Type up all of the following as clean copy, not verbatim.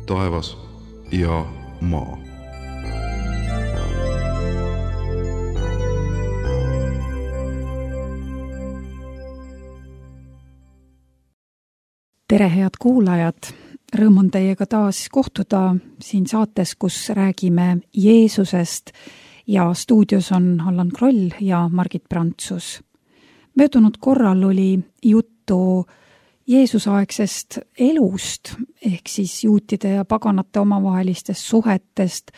taevas ja maa. Tere, head kuulajad! Rõõm on teiega taas kohtuda siin saates, kus räägime Jeesusest ja stuudios on Allan Kroll ja Margit Prantsus. Möödunud korral oli juttu Jeesusaegsest elust, ehk siis juutide ja paganate omavahelistest suhetest,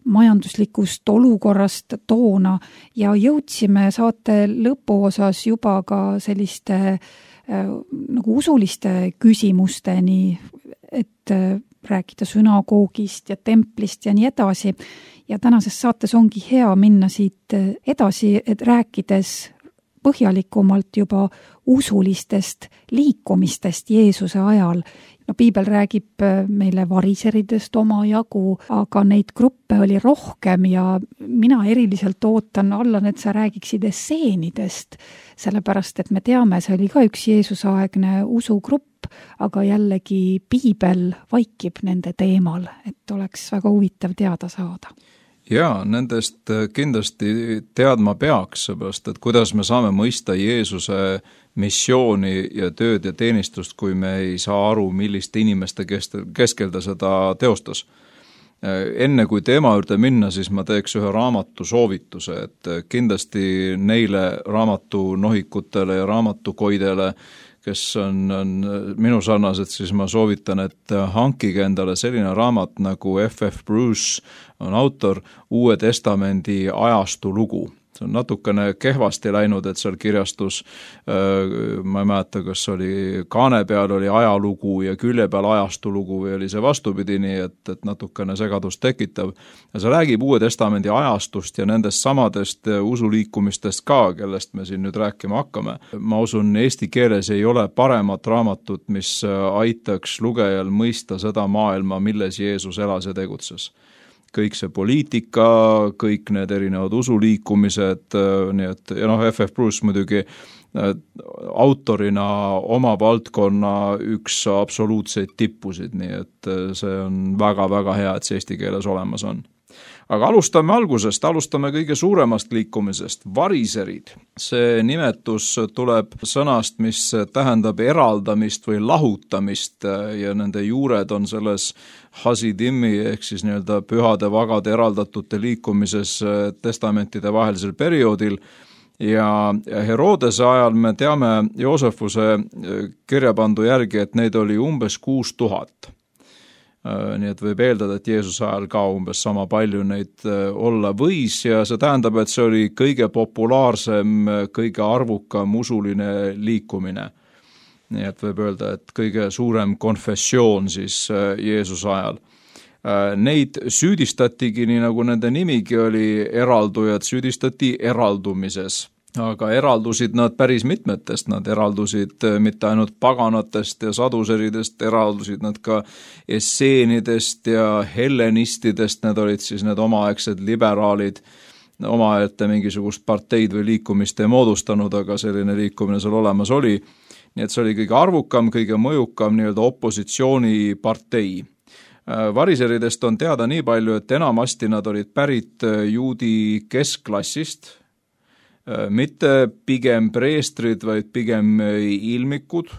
majanduslikust olukorrast toona ja jõudsime saate lõpuosas juba ka selliste nagu usuliste küsimusteni, et rääkida sünagoogist ja templist ja nii edasi. Ja tänases saates ongi hea minna siit edasi, et rääkides põhjalikumalt juba usulistest liikumistest Jeesuse ajal. No, piibel räägib meile variseridest omajagu, aga neid gruppe oli rohkem ja mina eriliselt ootan, Allan, et sa räägiksid esseenidest, sellepärast et me teame, see oli ka üks Jeesusaegne usugrupp, aga jällegi piibel vaikib nende teemal, et oleks väga huvitav teada saada. Jaa, nendest kindlasti teadma peaks, seepärast, et kuidas me saame mõista Jeesuse missiooni ja tööd ja teenistust, kui me ei saa aru, milliste inimeste keskel ta seda teostas. Enne kui teema juurde minna, siis ma teeks ühe raamatu soovituse, et kindlasti neile raamatunohikutele ja raamatukoidele, kes on minu sarnased, siis ma soovitan, et hankige endale selline raamat nagu F.F. Bruce on autor Uue Testamendi ajastu lugu. See on natukene kehvasti läinud, et seal kirjastus, ma ei mäleta, kas oli kaane peal oli ajalugu ja külje peal ajastu lugu või oli see vastupidi, nii et natukene segadust tekitav. Ja see räägib Uue Testamendi ajastust ja nendest samadest usuliikumistest ka, kellest me siin nüüd rääkima hakkame. Ma usun, eesti keeles ei ole paremat raamatut, mis aitaks lugejal mõista seda maailma, milles Jeesus elas ja tegutses. Kõik see poliitika, kõik need erinevad usuliikumised, nii et, ja F.F. Bruce muidugi autorina oma valdkonna üks absoluutseid tippusid, nii et see on väga-väga hea, et see eesti keeles olemas on. Aga alustame algusest, alustame kõige suuremast liikumisest, variserid. See nimetus tuleb sõnast, mis tähendab eraldamist või lahutamist ja nende juured on selles hasidimi ehk siis nii-öelda pühade vagade eraldatute liikumises testamentide vahelisel perioodil. Ja Herodese ajal me teame Joosefuse kirjapandu järgi, et neid oli umbes 6000. Nii et võib eeldada, et Jeesuse ajal ka umbes sama palju neid olla võis ja see tähendab, et see oli kõige populaarsem, kõige arvukam usuline liikumine. Nii et võib öelda, et kõige suurem konfessioon siis Jeesuse ajal. Neid süüdistatigi, nii nagu nende nimigi oli eraldujad, süüdistati eraldumises. Aga eraldusid nad päris mitmetest, nad eraldusid mitte ainult paganatest ja saduseridest, eraldusid nad ka esseenidest ja hellenistidest, need olid siis need omaaegsed liberaalid, omaette mingisugust parteid või liikumist ei moodustanud, aga selline liikumine seal olemas oli. Nii et see oli kõige arvukam, kõige mõjukam nii-öelda opositsioonipartei. Variseridest on teada nii palju, et enamasti nad olid pärit juudi keskklassist, mitte pigem preestrid, vaid pigem ilmikud.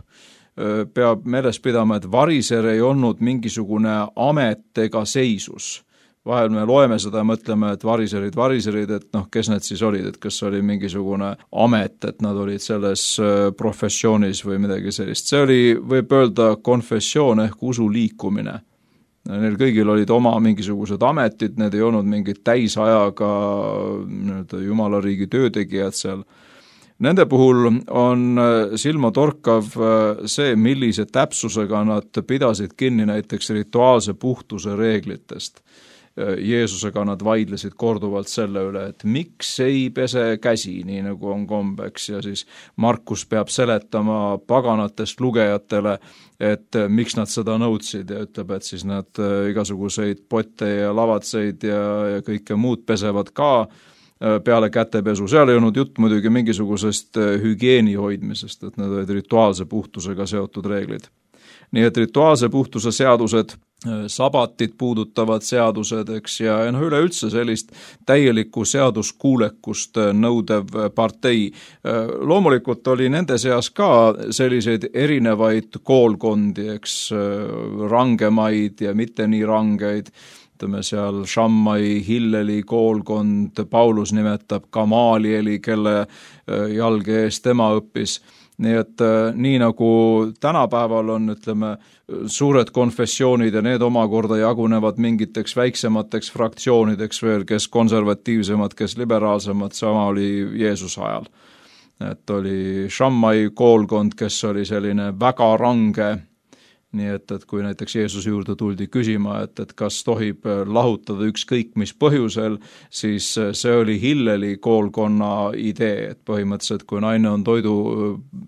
Peab meeles pidama, et variser ei olnud mingisugune amet ega seisus. Vahel me loeme seda ja mõtleme, et variserid, et kes need siis olid, et kas oli mingisugune amet, et nad olid selles professioonis või midagi sellist. See oli, võib öelda, konfessioon ehk usuliikumine. Neil kõigil olid oma mingisugused ametid, need ei olnud mingid täisajaga jumalariigi töötegijad seal. Nende puhul on silmatorkav see, millise täpsusega nad pidasid kinni näiteks rituaalse puhtuse reeglitest. Jeesusega nad vaidlesid korduvalt selle üle, et miks ei pese käsi, nii nagu on kombeks, ja siis Markus peab seletama paganatest lugejatele, et miks nad seda nõudsid ja ütleb, et siis nad igasuguseid potte ja lavatseid ja kõike muud pesevad ka peale kätepesu. Seal ei olnud jutt muidugi mingisugusest hügieeni hoidmisest, et need olid rituaalse puhtusega seotud reeglid. Nii et rituaalse puhtuse seadused sabatit puudutavad seadused, eks, ja üleüldse sellist täielikku seaduskuulekust nõudev partei. Loomulikult oli nende seas ka selliseid erinevaid koolkondi, eks, rangemaid ja mitte nii rangeid, ütleme seal Shammai, Hilleli koolkond, Paulus nimetab Gamalieli, kelle jalge ees tema õppis. Nii et nii nagu tänapäeval on, ütleme, suured konfessioonid ja need omakorda jagunevad mingiteks väiksemateks fraktsioonideks veel, kes konservatiivsemad, kes liberaalsemad, sama oli Jeesuse ajal. Et oli Shammai koolkond, kes oli selline väga range, nii et kui näiteks Jeesuse juurde tuldi küsima, et kas tohib lahutada ükskõik mis põhjusel, siis see oli Hilleli koolkonna idee, et põhimõtteliselt kui naine on toidu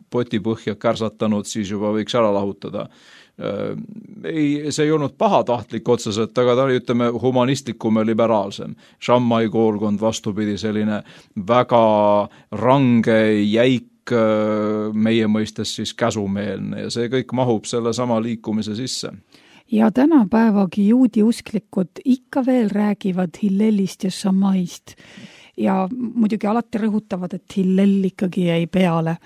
potipõhja kärsatanud, siis juba võiks ära lahutada. See ei olnud pahatahtlik otseselt, aga ta oli, ütleme, humanistlikum ja liberaalsem. Shammai koolkond vastupidi selline väga range, jäik, meie mõistes siis käsumeelne ja see kõik mahub selle sama liikumise sisse. Ja tänapäevagi juudi usklikud ikka veel räägivad Hillelist ja Shammaist ja muidugi alati rõhutavad, et Hillel ikkagi jäi peale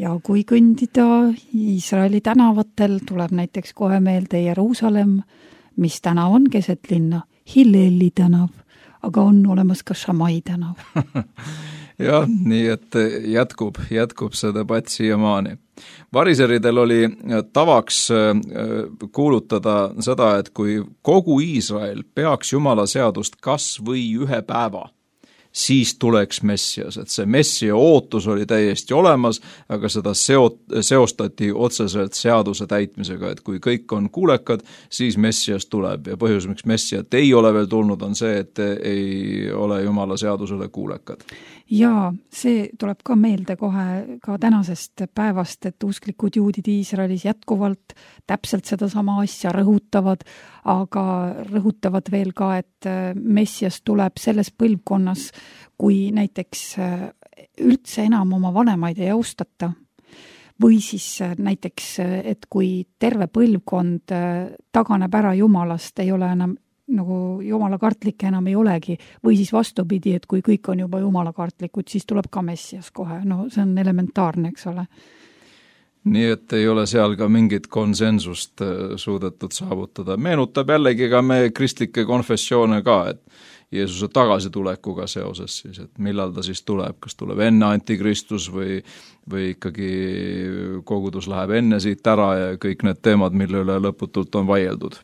ja kui kõndida Iisraeli tänavatel, tuleb näiteks kohe meelde Jeruusalemm, mis tänav on keset linna, Hilleli tänav, aga on olemas ka Shammai tänav. Jah, nii et jätkub see debatt siiamaani. Variseridel oli tavaks kuulutada seda, et kui kogu Iisrael peaks Jumala seadust kas või ühe päeva, siis tuleks Messias, et see Messia ootus oli täiesti olemas, aga seda seostati otseselt seaduse täitmisega, et kui kõik on kuulekad, siis Messias tuleb ja põhjus, miks Messiat ei ole veel tulnud, on see, et ei ole Jumala seadusele kuulekad. Ja see tuleb ka meelde kohe ka tänasest päevast, et usklikud juudid Iisraelis jätkuvalt täpselt sedasama asja rõhutavad, aga rõhutavad veel ka, et Messias tuleb selles põlvkonnas, kui näiteks üldse enam oma vanemaid ei austata. Või siis näiteks, et kui terve põlvkond taganeb ära Jumalast, ei ole enam nagu jumalakartlikke enam ei olegi, või siis vastupidi, et kui kõik on juba jumalakartlikud, siis tuleb ka Messias kohe, no see on elementaarne, eks ole. Nii et ei ole seal ka mingit konsensust suudetud saavutada. Meenutab jällegi ka me kristlikke konfessioone ka, et Jeesuse tagasitulekuga seoses siis, et millal ta siis tuleb, kas tuleb enne antikristus või ikkagi kogudus läheb enne siit ära ja kõik need teemad, mille üle lõputult on vaieldud.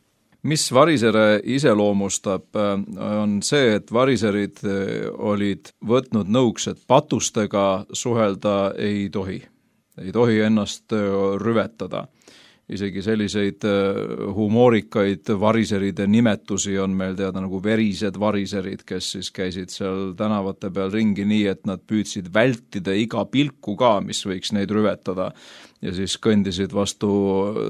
Mis varisere iseloomustab, on see, et variserid olid võtnud nõuks, et patustega suhelda ei tohi. Ei tohi ennast rüvetada. Isegi selliseid humoorikaid variseride nimetusi on meil teada nagu verised variserid, kes siis käisid seal tänavate peal ringi nii, et nad püüdsid vältida iga pilku ka, mis võiks neid rüvetada ja siis kõndisid vastu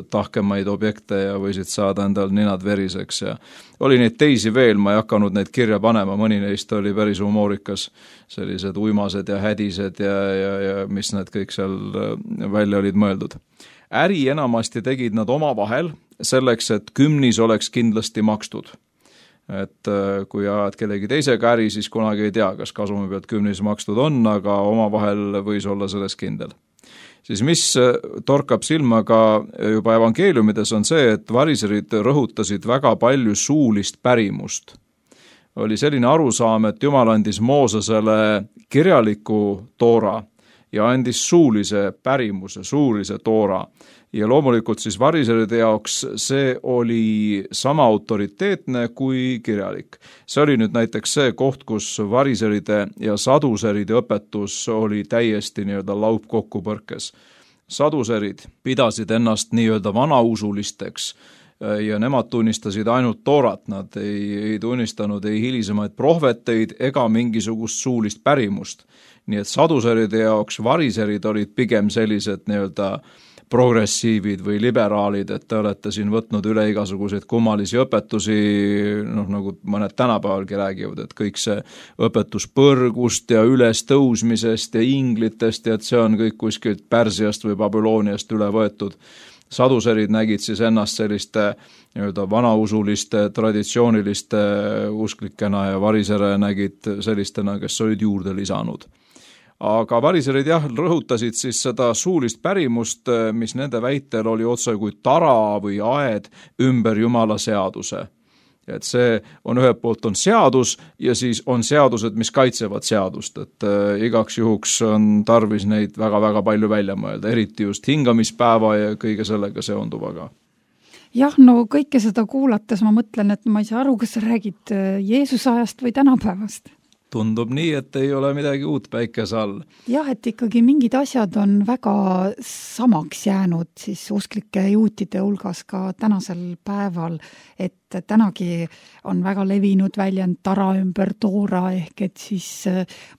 tahkemaid objekte ja võisid saada endal ninad veriseks ja oli neid teisi veel, ma ei hakanud neid kirja panema, mõni neist oli päris humoorikas, sellised uimased ja hädised ja mis need kõik seal välja olid mõeldud. Äri enamasti tegid nad omavahel selleks, et kümnis oleks kindlasti makstud. Et kui ajad kellegi teisega äri, siis kunagi ei tea, kas kasumi pealt kümnis makstud on, aga omavahel võis olla selles kindel. Siis mis torkab silma ka juba evangeeliumides on see, et variserid rõhutasid väga palju suulist pärimust. Oli selline arusaam, et Jumal andis Moosesele kirjaliku toora ja andis suulise pärimuse, suulise toora. Ja loomulikult siis variseride jaoks see oli sama autoriteetne kui kirjalik. See oli nüüd näiteks see koht, kus variseride ja saduseride õpetus oli täiesti nii-öelda laupkokkupõrkes. Saduserid pidasid ennast nii-öelda vanausulisteks ja nemad tunnistasid ainult toorat, nad ei tunnistanud ei hilisemaid prohveteid ega mingisugust suulist pärimust. Nii et saduseride jaoks variserid olid pigem sellised nii-öelda progressiivid või liberaalid, et te olete siin võtnud üle igasuguseid kummalisi õpetusi, nagu mõned tänapäevalgi räägivad, et kõik see õpetus põrgust ja ülestõusmisest ja inglitest ja et see on kõik kuskilt Pärsiast või Babyloniast üle võetud. saduserid nägid siis ennast selliste nii-öelda vanausuliste, traditsiooniliste usklikena ja varisere nägid sellistena, kes olid juurde lisanud. Aga variserid rõhutasid siis seda suulist pärimust, mis nende väitel oli otse kui tara või aed ümber Jumala seaduse. Et see on ühelt poolt on seadus ja siis on seadused, mis kaitsevad seadust, et igaks juhuks on tarvis neid väga-väga palju välja mõelda, eriti just hingamispäeva ja kõige sellega seonduvaga. Jah, no kõike seda kuulates ma mõtlen, et ma ei saa aru, kas sa räägid Jeesuse ajast või tänapäevast. Tundub nii, et ei ole midagi uut päikese all. Jah, et ikkagi mingid asjad on väga samaks jäänud siis usklike juutide hulgas ka tänasel päeval, et tänagi on väga levinud väljend tara ümber toora, ehk et siis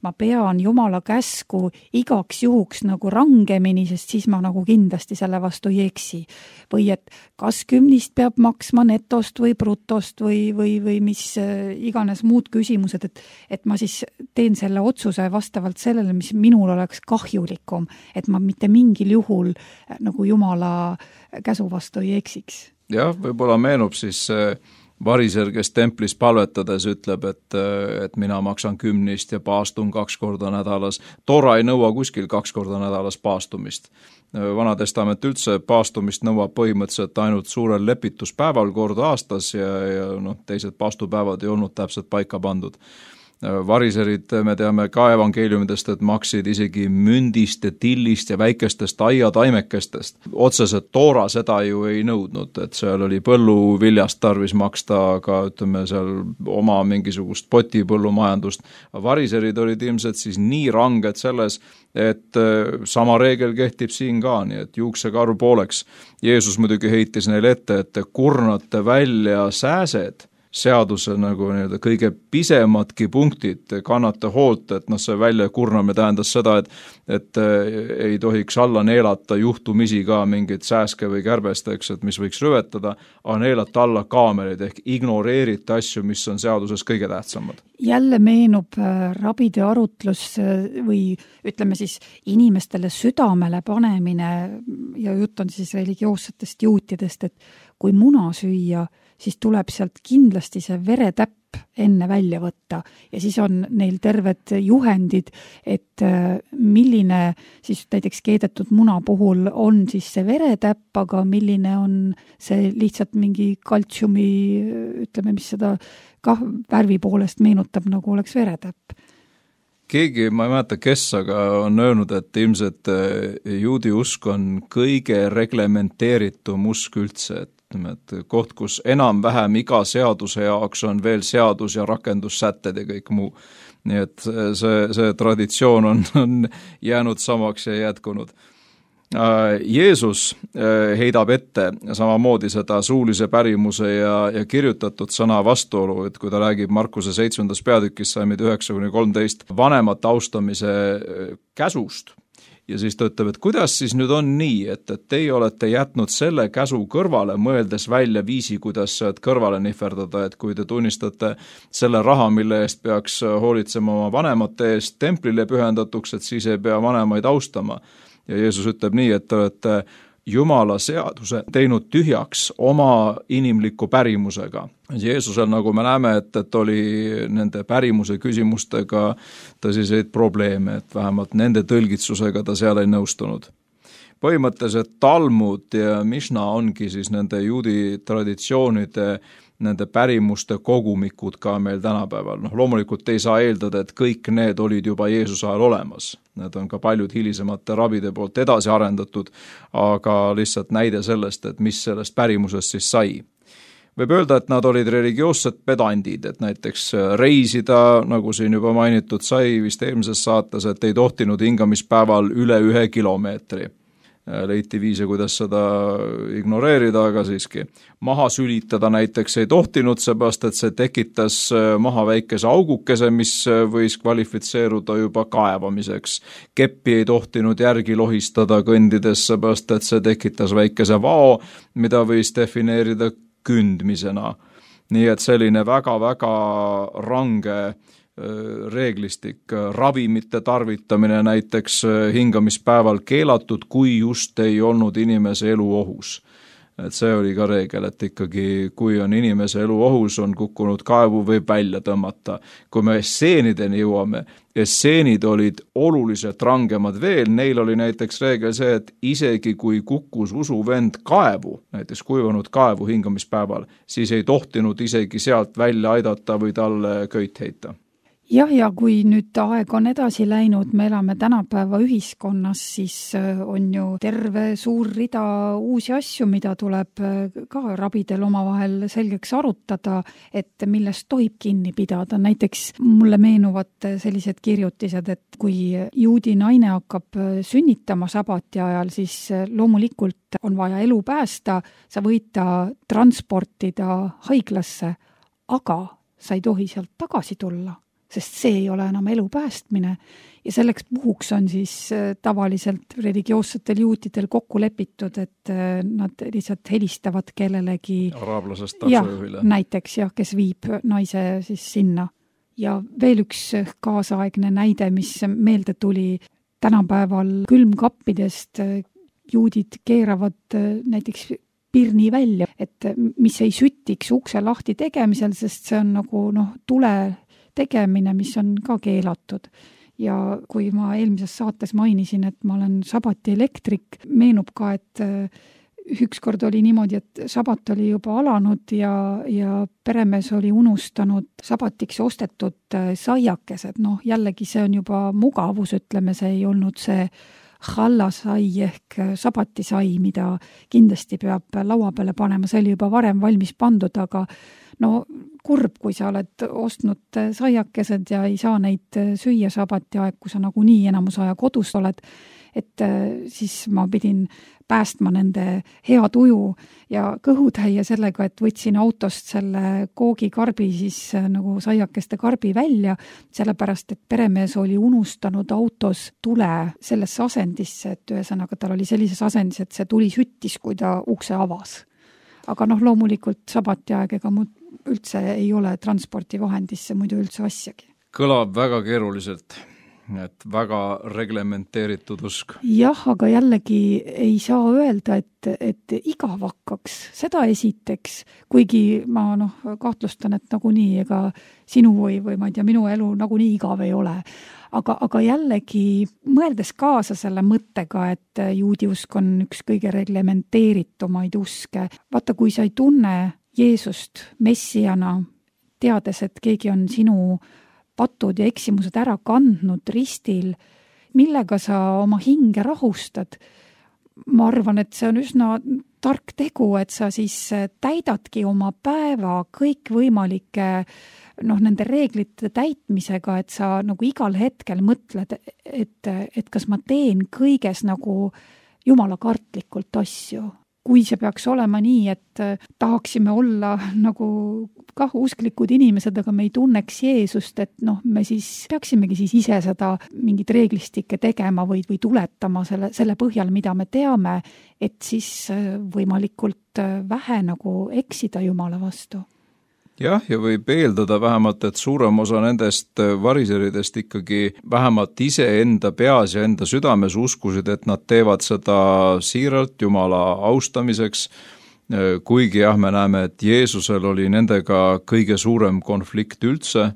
ma pean Jumala käsku igaks juhuks nagu rangemini, sest siis ma nagu kindlasti selle vastu ei eksi. Või et kas kümnist peab maksma netost või brutost või mis iganes muud küsimused, et ma siis teen selle otsuse vastavalt sellele, mis minul oleks kahjulikum, et ma mitte mingil juhul nagu Jumala käsu vastu ei eksiks. Jah, võib-olla meenub siis variser, kes templis palvetades ütleb, et mina maksan 10 ja paastun 2 korda nädalas. Toora ei nõua kuskil 2 korda nädalas paastumist. Vana testament üldse paastumist nõuab põhimõtteliselt ainult suurel lepituspäeval kord aastas ja teised paastupäevad ei olnud täpselt paika pandud. Variserid, me teame ka evangeeliumidest, et maksid isegi mündist ja tillist ja väikestest aiataimekestest. Otseselt toora seda ju ei nõudnud, et seal oli põlluviljast tarvis maksta, aga ütleme seal oma mingisugust potipõllumajandust. Variserid olid ilmselt siis nii ranged selles, et sama reegel kehtib siin ka, nii et juuksekaru pooleks. Jeesus muidugi heitis neile ette, et te kurnate välja sääsed, seaduse nagu kõige pisemadki punktid, kannate hoolt, et see välja kurname tähendas seda, et ei tohiks alla neelata juhtumisi ka mingit sääske või kärbesteks, et mis võiks rüvetada, aga neelata alla kaamerid ehk ignoreerite asju, mis on seaduses kõige tähtsamad. Jälle meenub rabide arutlus või ütleme siis inimestele südamele panemine ja jutt on siis religioossetest juutidest, et kui muna süüa, siis tuleb sealt kindlasti see veretäpp enne välja võtta ja siis on neil terved juhendid, et milline siis näiteks keedetud muna puhul on siis see veretäpp, aga milline on see lihtsalt mingi kaltsiumi, ütleme, mis seda kah värvi poolest meenutab, nagu oleks veretäpp. Keegi, ma ei mäleta kes, aga on öelnud, et ilmselt juudi usk on kõige reglementeeritum usk üldse, et koht, kus enam-vähem iga seaduse jaoks on veel seadus ja rakendussätted ja kõik muu. Nii et see traditsioon on jäänud samaks ja jätkunud. Jeesus heidab ette samamoodi seda suulise pärimuse ja kirjutatud sõna vastuolu, et kui ta räägib Markuse 7. peatükis salmid 9-13 vanemate austamise käsust, ja siis ta ütleb, et kuidas siis nüüd on nii, et teie olete jätnud selle käsu kõrvale, mõeldes välja viisi, kuidas kõrvale nihverdada, et kui te tunnistate selle raha, mille eest peaks hoolitsema oma vanemate eest templile pühendatuks, et siis ei pea vanemaid austama. Ja Jeesus ütleb nii, et te olete Jumala seaduse teinud tühjaks oma inimliku pärimusega. Jeesusel, nagu me näeme, et oli nende pärimuse küsimustega tõsiseid probleeme, et vähemalt nende tõlgitsusega ta seal ei nõustunud. Põhimõtteliselt Talmud ja Mishna ongi siis nende juudi traditsioonide nende pärimuste kogumikud ka meil tänapäeval. Loomulikult ei saa eeldada, et kõik need olid juba Jeesuse ajal olemas. Need on ka paljud hilisemate rabide poolt edasi arendatud, aga lihtsalt näide sellest, et mis sellest pärimusest siis sai. Võib öelda, et nad olid religioossed pedandid, et näiteks reisida, nagu siin juba mainitud sai vist eelmises saates, et ei tohtinud hingamispäeval üle 1 kilomeetri. Leiti viise, kuidas seda ignoreerida, aga siiski. Maha sülitada näiteks ei tohtinud, seepärast, et see tekitas maha väikese augukese, mis võis kvalifitseeruda juba kaevamiseks. Keppi ei tohtinud järgi lohistada kõndides, seepärast, et see tekitas väikese vao, mida võis defineerida kündmisena. Nii et selline väga-väga range reeglistik, ravimite tarvitamine näiteks hingamispäeval keelatud, kui just ei olnud inimese elu ohus. Et see oli ka reegel, et ikkagi kui on inimese elu ohus, on kukkunud kaevu, võib välja tõmmata. Kui me esseenideni jõuame, esseenid olid oluliselt rangemad veel, neil oli näiteks reegel see, et isegi kui kukkus usuvend kaevu, näiteks kuivanud kaevu hingamispäeval, siis ei tohtinud isegi sealt välja aidata või talle köit heita. Jah, ja kui nüüd aeg on edasi läinud, me elame tänapäeva ühiskonnas, siis on ju terve suur rida uusi asju, mida tuleb ka rabidel omavahel selgeks arutada, et millest tohib kinni pidada. Näiteks mulle meenuvad sellised kirjutised, et kui juudi naine hakkab sünnitama sabati ajal, siis loomulikult on vaja elu päästa, sa võid ta transportida haiglasse, aga sa ei tohi sealt tagasi tulla, sest see ei ole enam elu päästmine ja selleks puhuks on siis tavaliselt religioossetel juutidel kokku lepitud, et nad lihtsalt helistavad kellelegi araablasest taksojuhile. Näiteks, kes viib naise siis sinna. Ja veel üks kaasaegne näide, mis meelde tuli, tänapäeval külmkappidest juudid keeravad näiteks pirni välja, et mis ei sütiks ukse lahti tegemisel, sest see on nagu tule tegemine, mis on ka keelatud. Ja kui ma eelmises saates mainisin, et ma olen sabati elektrik, meenub ka, et ükskord oli niimoodi, et sabat oli juba alanud ja peremees oli unustanud sabatiks ostetud saiakesed. Jällegi see on juba mugavus, ütleme, see ei olnud see hallasai ehk sabatisai, mida kindlasti peab laua peale panema, see oli juba varem valmis pandud, aga kurb, kui sa oled ostnud saiakesed ja ei saa neid süüa sabati aeg, kui sa nagunii enamus aja kodus oled, et siis ma pidin päästma nende hea tuju ja kõhutäie sellega, et võtsin autost selle koogikarbi siis nagu saiakeste karbi välja, sellepärast, et peremees oli unustanud autos tule sellesse asendisse, et ühesõnaga tal oli sellises asendis, et see tuli süttis, kui ta ukse avas. Aga loomulikult sabati aeg, ega üldse ei ole transpordivahendisse muidu üldse asjagi. Kõlab väga keeruliselt, et väga reglementeeritud usk. Jah, aga jällegi ei saa öelda, et igav hakkaks, seda esiteks, kuigi ma kahtlustan, et nagunii ega sinu või ma ei tea, minu elu nagunii igav ei ole. Aga jällegi mõeldes kaasa selle mõttega, et juudi usk on üks kõige reglementeeritumaid uske. Vaata, kui sa ei tunne Jeesust messiana, teades, et keegi on sinu patud ja eksimused ära kandnud ristil, millega sa oma hinge rahustad. Ma arvan, et see on üsna tark tegu, et sa siis täidadki oma päeva kõikvõimalike nende reeglite täitmisega, et sa nagu igal hetkel mõtled, et kas ma teen kõiges nagu jumala kartlikult asju. Kui see peaks olema nii, et tahaksime olla nagu kah usklikud inimesed, aga me ei tunneks Jeesust, et me siis peaksimegi siis ise seda mingit reeglistikke tegema või tuletama selle põhjal, mida me teame, et siis võimalikult vähe nagu eksida jumala vastu. Jah, ja võib eeldada vähemalt, et suurem osa nendest variseridest ikkagi vähemalt ise enda peas ja enda südames uskusid, et nad teevad seda siiralt Jumala austamiseks, kuigi me näeme, et Jeesusel oli nendega kõige suurem konflikt üldse,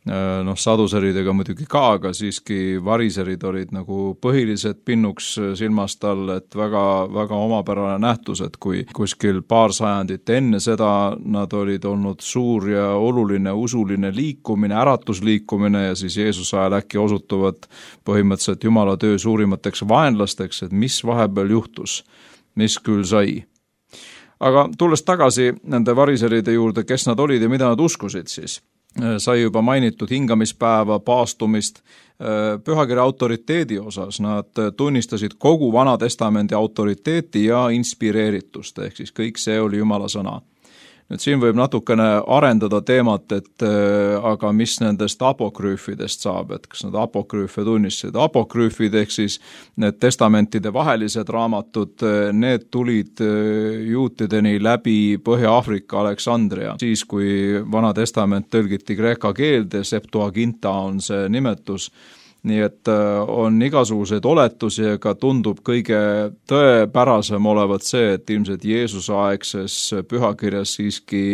saduseridega muidugi ka, aga siiski variserid olid nagu põhilised pinnuks silmast all, et väga, väga omapärane nähtus, et kui kuskil paar sajandit enne seda nad olid olnud suur ja oluline usuline liikumine, äratusliikumine ja siis Jeesuse ajal äkki osutuvad põhimõtteliselt Jumala töö suurimateks vaenlasteks, et mis vahepeal juhtus, mis küll sai. Aga tulles tagasi nende variseride juurde, kes nad olid ja mida nad uskusid siis, sai juba mainitud hingamispäeva, paastumist, pühakirja autoriteedi osas. Nad tunnistasid kogu Vana Testamendi autoriteeti ja inspireeritust, ehk siis kõik see oli Jumala sõna. Nüüd siin võib natukene arendada teemat, et aga mis nendest apokrüüfidest saab, et kas nad apokrüüfe tunnistasid. Apokrüüfid ehk siis need testamentide vahelised raamatud, need tulid juutideni läbi Põhja-Aafrika Aleksandria. Siis, kui Vana Testament tõlgiti kreeka keelde, Septuaginta on see nimetus, nii et on igasuguseid oletusi, aga tundub kõige tõepärasem olevat see, et ilmselt Jeesuse aegses pühakirjas siiski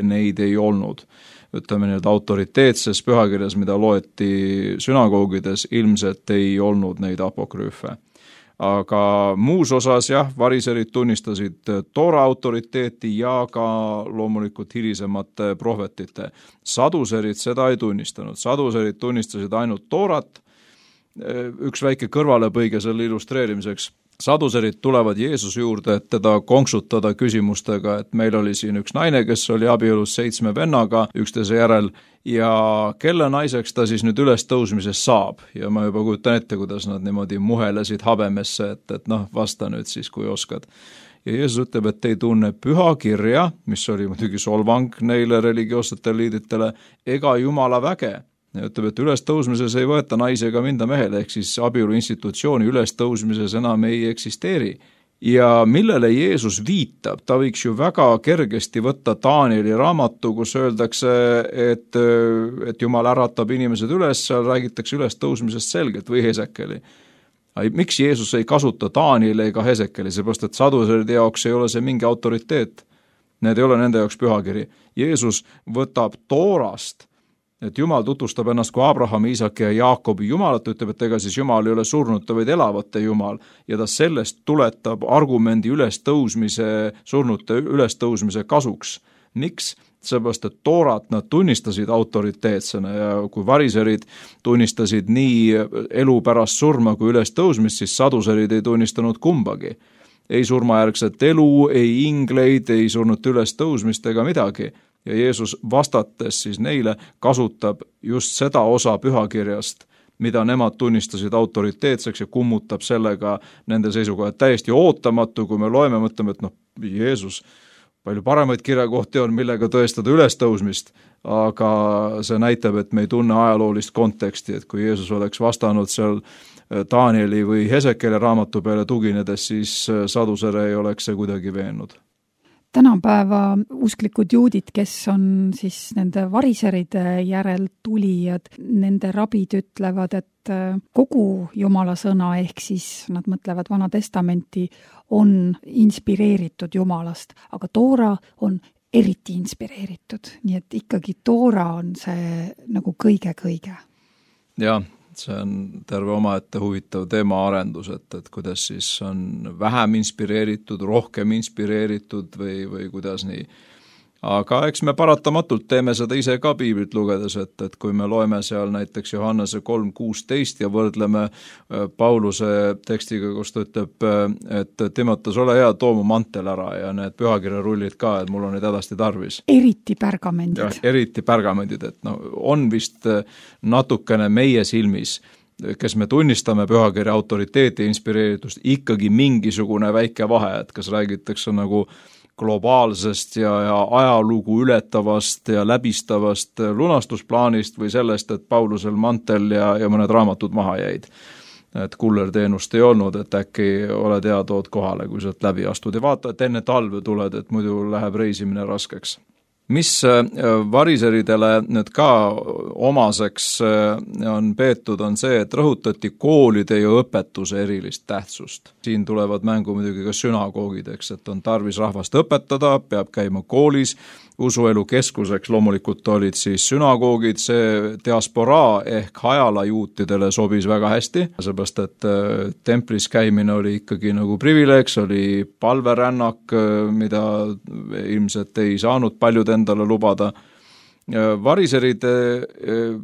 neid ei olnud. Ütleme nii, et autoriteetses pühakirjas, mida loeti sünagoogides, ilmselt ei olnud neid apokrüüfe. Aga muus osas jah, variserid tunnistasid Toora autoriteeti ja ka loomulikult hilisemate prohvetite. Saduserid seda ei tunnistanud. Saduserid tunnistasid ainult Toorat. Üks väike kõrvalepõige selle illustreerimiseks. Saduserid tulevad Jeesuse juurde, et teda konksutada küsimustega, et meil oli siin üks naine, kes oli abielus 7 vennaga üksteise järel ja kelle naiseks ta siis nüüd ülestõusmises saab. Ja ma juba kujutan ette, kuidas nad niimoodi muhelesid habemesse, et vasta nüüd siis, kui oskad. Ja Jeesus ütleb, et ei tunne pühakirja, mis oli muidugi solvang neile religioossetele liidritele, ega Jumala väge. Ja ütleb, et ülestõusmises ei võeta naise ega minda mehele, ehk siis abielu institutsiooni ülestõusmises enam ei eksisteeri. Ja millele Jeesus viitab, ta võiks ju väga kergesti võtta Danieli raamatu, kus öeldakse, et Jumal äratab inimesed üles, seal räägitakse ülestõusmisest selgelt või Hesekeli. Miks Jeesus ei kasuta Danieli ega Hesekeli, seepärast et saduseride jaoks ei ole see mingi autoriteet. Need ei ole nende jaoks pühakiri. Jeesus võtab Toorast, et Jumal tutvustab ennast kui Abrahami, Iisaki ja Jaakobi Jumalat, ütleb, et ega siis Jumal ei ole surnute, vaid elavate Jumal, ja ta sellest tuletab argumendi surnute ülestõusmise kasuks. Miks? Seepärast, et Toorat nad tunnistasid autoriteetsena ja kui variserid tunnistasid nii elu pärast surma kui ülestõusmist, siis saduserid ei tunnistanud kumbagi. Ei surmajärgset elu, ei ingleid, ei surnute ülestõusmist ega midagi. Ja Jeesus vastates siis neile kasutab just seda osa pühakirjast, mida nemad tunnistasid autoriteetseks ja kummutab sellega nende seisukoha. Täiesti ootamatu, kui me loeme, mõtleme, et Jeesus, palju paremaid kirjakohti on, millega tõestada ülestõusmist, aga see näitab, et me ei tunne ajaloolist konteksti, et kui Jeesus oleks vastanud seal Danieli või Hesekele raamatu peale tuginedes, siis sadusere ei oleks see kuidagi veennud. Tänapäeva usklikud juudid, kes on siis nende variseride järel tulijad, nende rabid ütlevad, et kogu Jumala sõna, ehk siis nad mõtlevad Vana Testamenti, on inspireeritud Jumalast, aga Toora on eriti inspireeritud, nii et ikkagi Toora on see nagu kõige-kõige. Jah. See on terve omaette huvitav teemaarendus, et kuidas siis on vähem inspireeritud, rohkem inspireeritud või kuidas nii. Aga eks me paratamatult teeme seda ise ka piiblit lugedes, et kui me loeme seal näiteks Johannese 3.16 ja võrdleme Pauluse tekstiga, kus ta ütleb, et Timoteus, ole hea, too mu mantel ära ja need pühakirjarullid ka, et mul on neid hädasti tarvis. Eriti pärgamendid. Ja, eriti pärgamendid, et on vist natukene meie silmis, kes me tunnistame pühakirja autoriteeti ja inspireeritust, ikkagi mingisugune väike vahe, et kas räägitakse nagu globaalsest ja ajalugu ületavast ja läbistavast lunastusplaanist või sellest, et Paulusel mantel ja mõned raamatud maha jäid. Et kullerteenust ei olnud, et äkki oled hea, tood kohale, kui sealt läbi astud ja vaata, et enne talve tuled, et muidu läheb reisimine raskeks. Mis variseridele nüüd ka omaseks on peetud, on see, et rõhutati koolide ja õpetuse erilist tähtsust. Siin tulevad mängu muidugi ka sünagoogid, eks, et on tarvis rahvast õpetada, peab käima koolis, usuelu keskuseks loomulikult olid siis sünagoogid, see diasporaa ehk hajala juutidele sobis väga hästi, seepärast et templis käimine oli ikkagi nagu privileeg, oli palverännak, mida ilmselt ei saanud paljud endale lubada. Variseride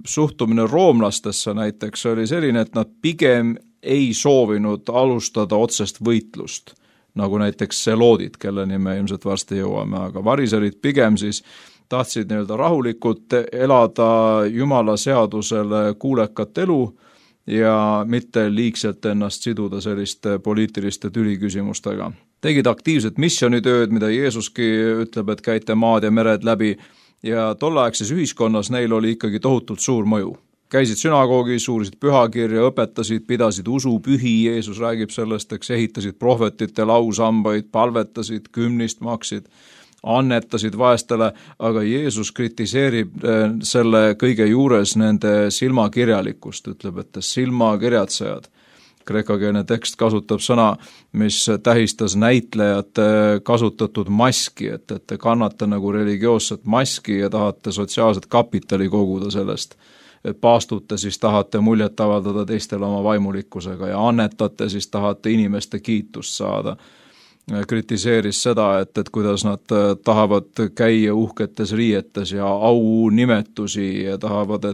suhtumine roomlastesse näiteks oli selline, et nad pigem ei soovinud alustada otsest võitlust, nagu näiteks seloodid, kelleni me ilmselt varsti jõuame, aga variserid pigem siis tahtsid rahulikult elada Jumala seadusele kuulekat elu ja mitte liigselt ennast siduda selliste poliitiliste tüliküsimustega. Tegid aktiivset missionitööd, mida Jeesuski ütleb, et käite maad ja mered läbi, ja tolleaegses ühiskonnas neil oli ikkagi tohutult suur mõju. Käisid sünagoogis, uurisid pühakirja, õpetasid, pidasid usupühi, Jeesus räägib sellest, eks ehitasid prohvetite lausambaid, palvetasid, kümnist maksid, annetasid vaestele, aga Jeesus kritiseerib selle kõige juures nende silmakirjalikkust, ütleb, et silmakirjatsejad. Kreekakeelne tekst kasutab sõna, mis tähistas näitlejate kasutatud maski, et te kannate nagu religioosset maski ja tahate sotsiaalset kapitali koguda sellest. Paastute, siis tahate muljet avaldada teistele oma vaimulikkusega ja annetate, siis tahate inimeste kiitust saada. Kritiseeris seda, et kuidas nad tahavad käia uhketes riietes ja au nimetusi ja tahavad,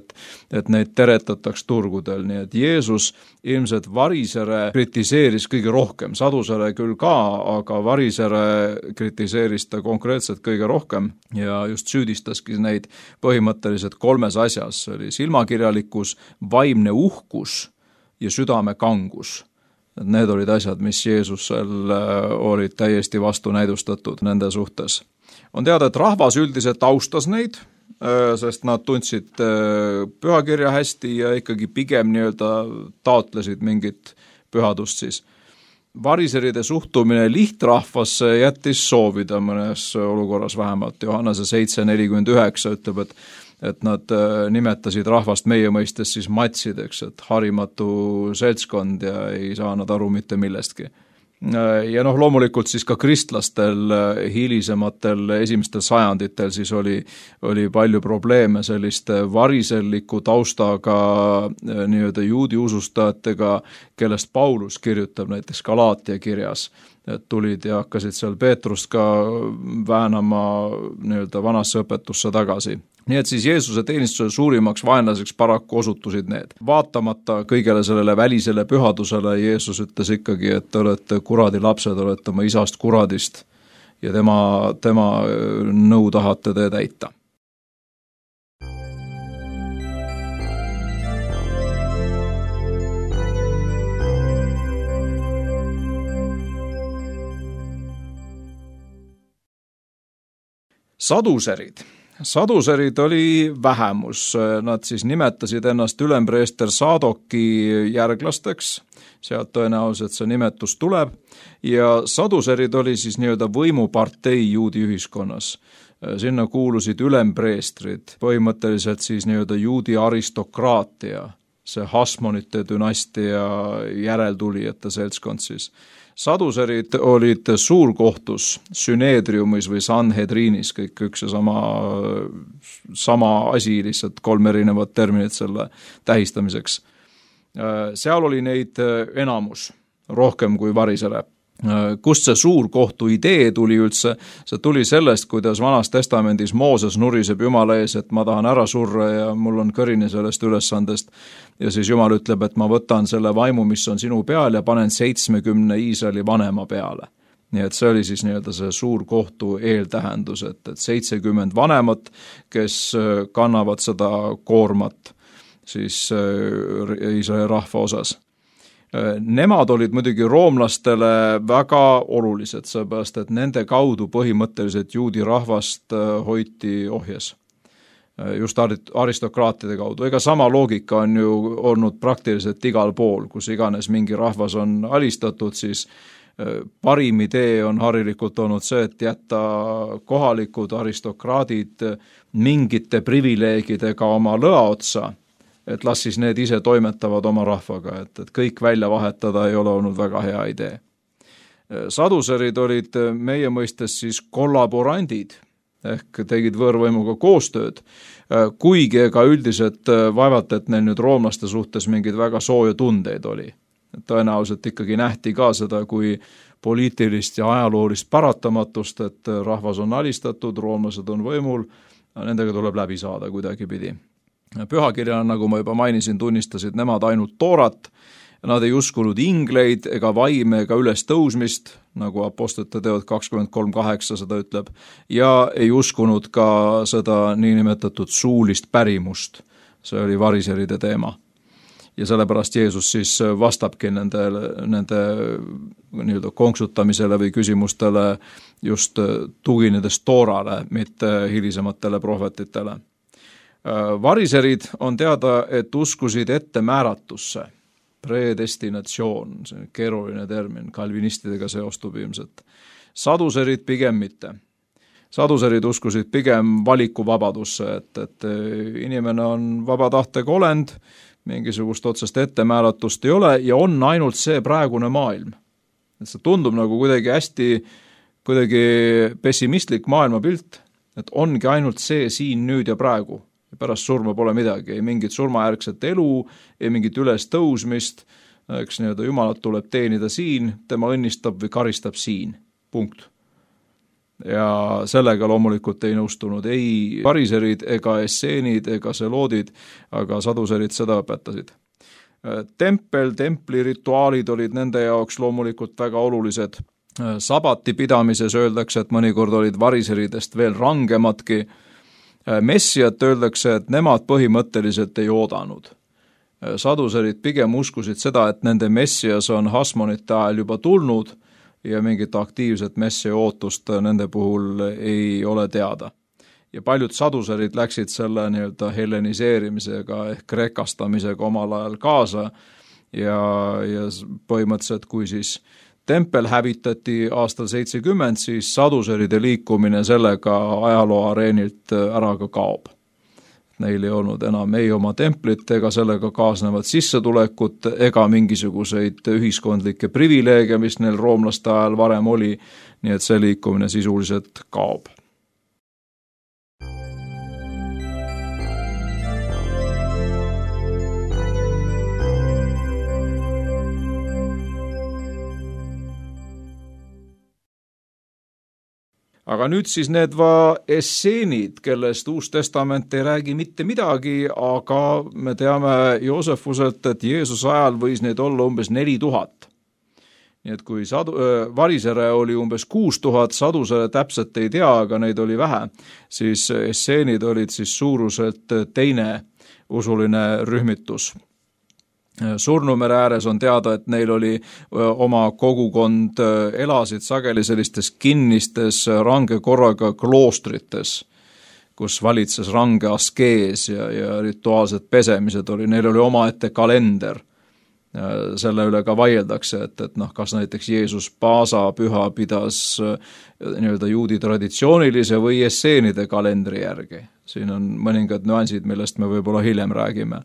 et neid teretataks turgudel. Nii et Jeesus ilmselt Varisere kritiseeris kõige rohkem, Sadusere küll ka, aga Varisere kritiseeris ta konkreetselt kõige rohkem ja just süüdistaski neid põhimõtteliselt 3 asjas. See oli silmakirjalikkus, vaimne uhkus ja südame kangus. Need olid asjad, mis Jeesusel olid täiesti vastunäidustatud nende suhtes. On teada, et rahvas üldiselt austas neid, sest nad tundsid pühakirja hästi ja ikkagi pigem taotlesid mingit pühadust siis. Variseride suhtumine lihtrahvasse jättis soovida mõnes olukorras vähemalt. Johannese 7:49 ütleb, et nad nimetasid rahvast meie mõistes siis matsideks, et harimatu seltskond ja ei saa nad aru mitte millestki. Ja loomulikult siis ka kristlastel hilisematel esimestel sajanditel siis oli palju probleeme selliste variselliku taustaga juudi usustajatega, kellest Paulus kirjutab näiteks Galaatia kirjas. Et tulid ja hakkasid seal Peetrust ka väänama vanasse õpetusse tagasi. Nii et siis Jeesuse teenistuse suurimaks vaenlaseks paraku osutusid need. Vaatamata kõigele sellele välisele pühadusele Jeesus ütles ikkagi, et te olete kuradi lapsed, olete oma isast kuradist ja tema nõu tahate te täita. Saduserid oli vähemus, nad siis nimetasid ennast ülempreester Saadoki järglasteks, sealt tõenäoliselt see nimetus tuleb, ja saduserid oli siis võimupartei juudi ühiskonnas. Sinna kuulusid ülempreestrid, põhimõtteliselt siis juudi aristokraatia, see Hasmonite dünastia järeltulijate seltskond siis. Saduserid olid suurkohtus, Süneedriumis või Sanhedriinis, kõik üks ja sama asi, lihtsalt 3 erinevat terminit selle tähistamiseks. Seal oli neid enamus, rohkem kui Varisere. Kust see suurkohtu idee tuli üldse? See tuli sellest, kuidas Vanas Testamendis Mooses nuriseb Jumala ees, et ma tahan ära surra ja mul on kõrini sellest ülesandest. Ja siis Jumal ütleb, et ma võtan selle vaimu, mis on sinu peal ja panen 70 Iisraeli vanema peale. Nii et see oli siis see suurkohtu eeltähendus, et 70 vanemat, kes kannavad seda koormat siis Iisraeli rahva osas. Nemad olid muidugi roomlastele väga olulised, seepärast, et nende kaudu põhimõtteliselt juudi rahvast hoiti ohjes. Just aristokraatide kaudu. Ega sama loogika on ju olnud praktiliselt igal pool, kus iganes mingi rahvas on alistatud, siis parim idee on harilikult olnud see, et jätta kohalikud aristokraadid mingite privileegidega oma lõa otsa, et las siis need ise toimetavad oma rahvaga, et kõik välja vahetada ei ole olnud väga hea idee. Saduserid olid meie mõistes siis kollaborandid, ehk tegid võõrvõimuga koostööd, kuigi ega üldiselt vaevalt, et neil nüüd roomlaste suhtes mingeid väga sooja tundeid oli. Tõenäoliselt ikkagi nähti ka seda kui poliitilist ja ajaloolist paratamatust, et rahvas on alistatud, roomlased on võimul, nendega tuleb läbi saada kuidagi pidi. Pühakirjana, nagu ma juba mainisin, tunnistasid nemad ainult toorat, nad ei uskunud ingleid ega vaime ega üles tõusmist, nagu Apostlite teod 23:8 seda ütleb, ja ei uskunud ka seda niinimetatud suulist pärimust, see oli variseride teema. ja sellepärast Jeesus siis vastabki nende nii-öelda konksutamisele või küsimustele just tuginedes Toorale, mitte hilisematele prohvetitele. Variserid on teada, et uskusid ettemääratusse, predestinatsioon, see on keeruline termin, kalvinistidega seostub ilmselt. Saduserid pigem mitte. Saduserid uskusid pigem valikuvabadusse, et inimene on vaba tahtega olend, mingisugust otsest ettemääratust ei ole ja on ainult see praegune maailm. Et see tundub nagu kuidagi pessimistlik maailmapilt, et ongi ainult see siin nüüd ja praegu. Ja pärast surma pole midagi, ei mingit surmajärgset elu, ei mingit üles tõusmist, eks nii-öelda Jumalat tuleb teenida siin, tema õnnistab või karistab siin, punkt. Ja sellega loomulikult ei nõustunud ei variserid ega esseenid ega seloodid, aga saduserid seda õpetasid. Templi rituaalid olid nende jaoks loomulikult väga olulised. Sabati pidamises öeldakse, et mõnikord olid variseridest veel rangemadki. Messiat öeldakse, et nemad põhimõtteliselt ei oodanud. Saduserid pigem uskusid seda, et nende Messias on Hasmonite ajal juba tulnud ja mingit aktiivset messia ootust nende puhul ei ole teada. Ja paljud saduserid läksid selle nii-öelda helleniseerimisega ehk krekastamisega omal ajal kaasa ja põhimõtteliselt, kui siis tempel hävitati aastal 70, siis saduseride liikumine sellega ajaloo areenilt ära ka kaob. Neil ei olnud enam ei oma templit ega sellega kaasnevat sissetulekut ega mingisuguseid ühiskondlikke privileege, mis neil roomlaste ajal varem oli, nii et see liikumine sisuliselt kaob. Aga nüüd siis need esseenid, kellest Uus Testament ei räägi mitte midagi, aga me teame Joosefuselt, et Jeesuse ajal võis neid olla umbes 4000. Nii et kui varisere oli umbes 6000, sadusere täpselt ei tea, aga neid oli vähe, siis esseenid olid siis suuruselt teine usuline rühmitus. Surnumere ääres on teada, et neil oli oma kogukond, elasid sageli sellistes kinnistes range korraga kloostrites, kus valitses range askees ja rituaalsed pesemised oli. Neil oli omaette kalender. Selle üle ka vaieldakse, et kas näiteks Jeesus Paasa püha pidas nii-öelda juudi traditsioonilise või esseenide kalendri järgi. Siin on mõningad nüansid, millest me võib-olla hiljem räägime.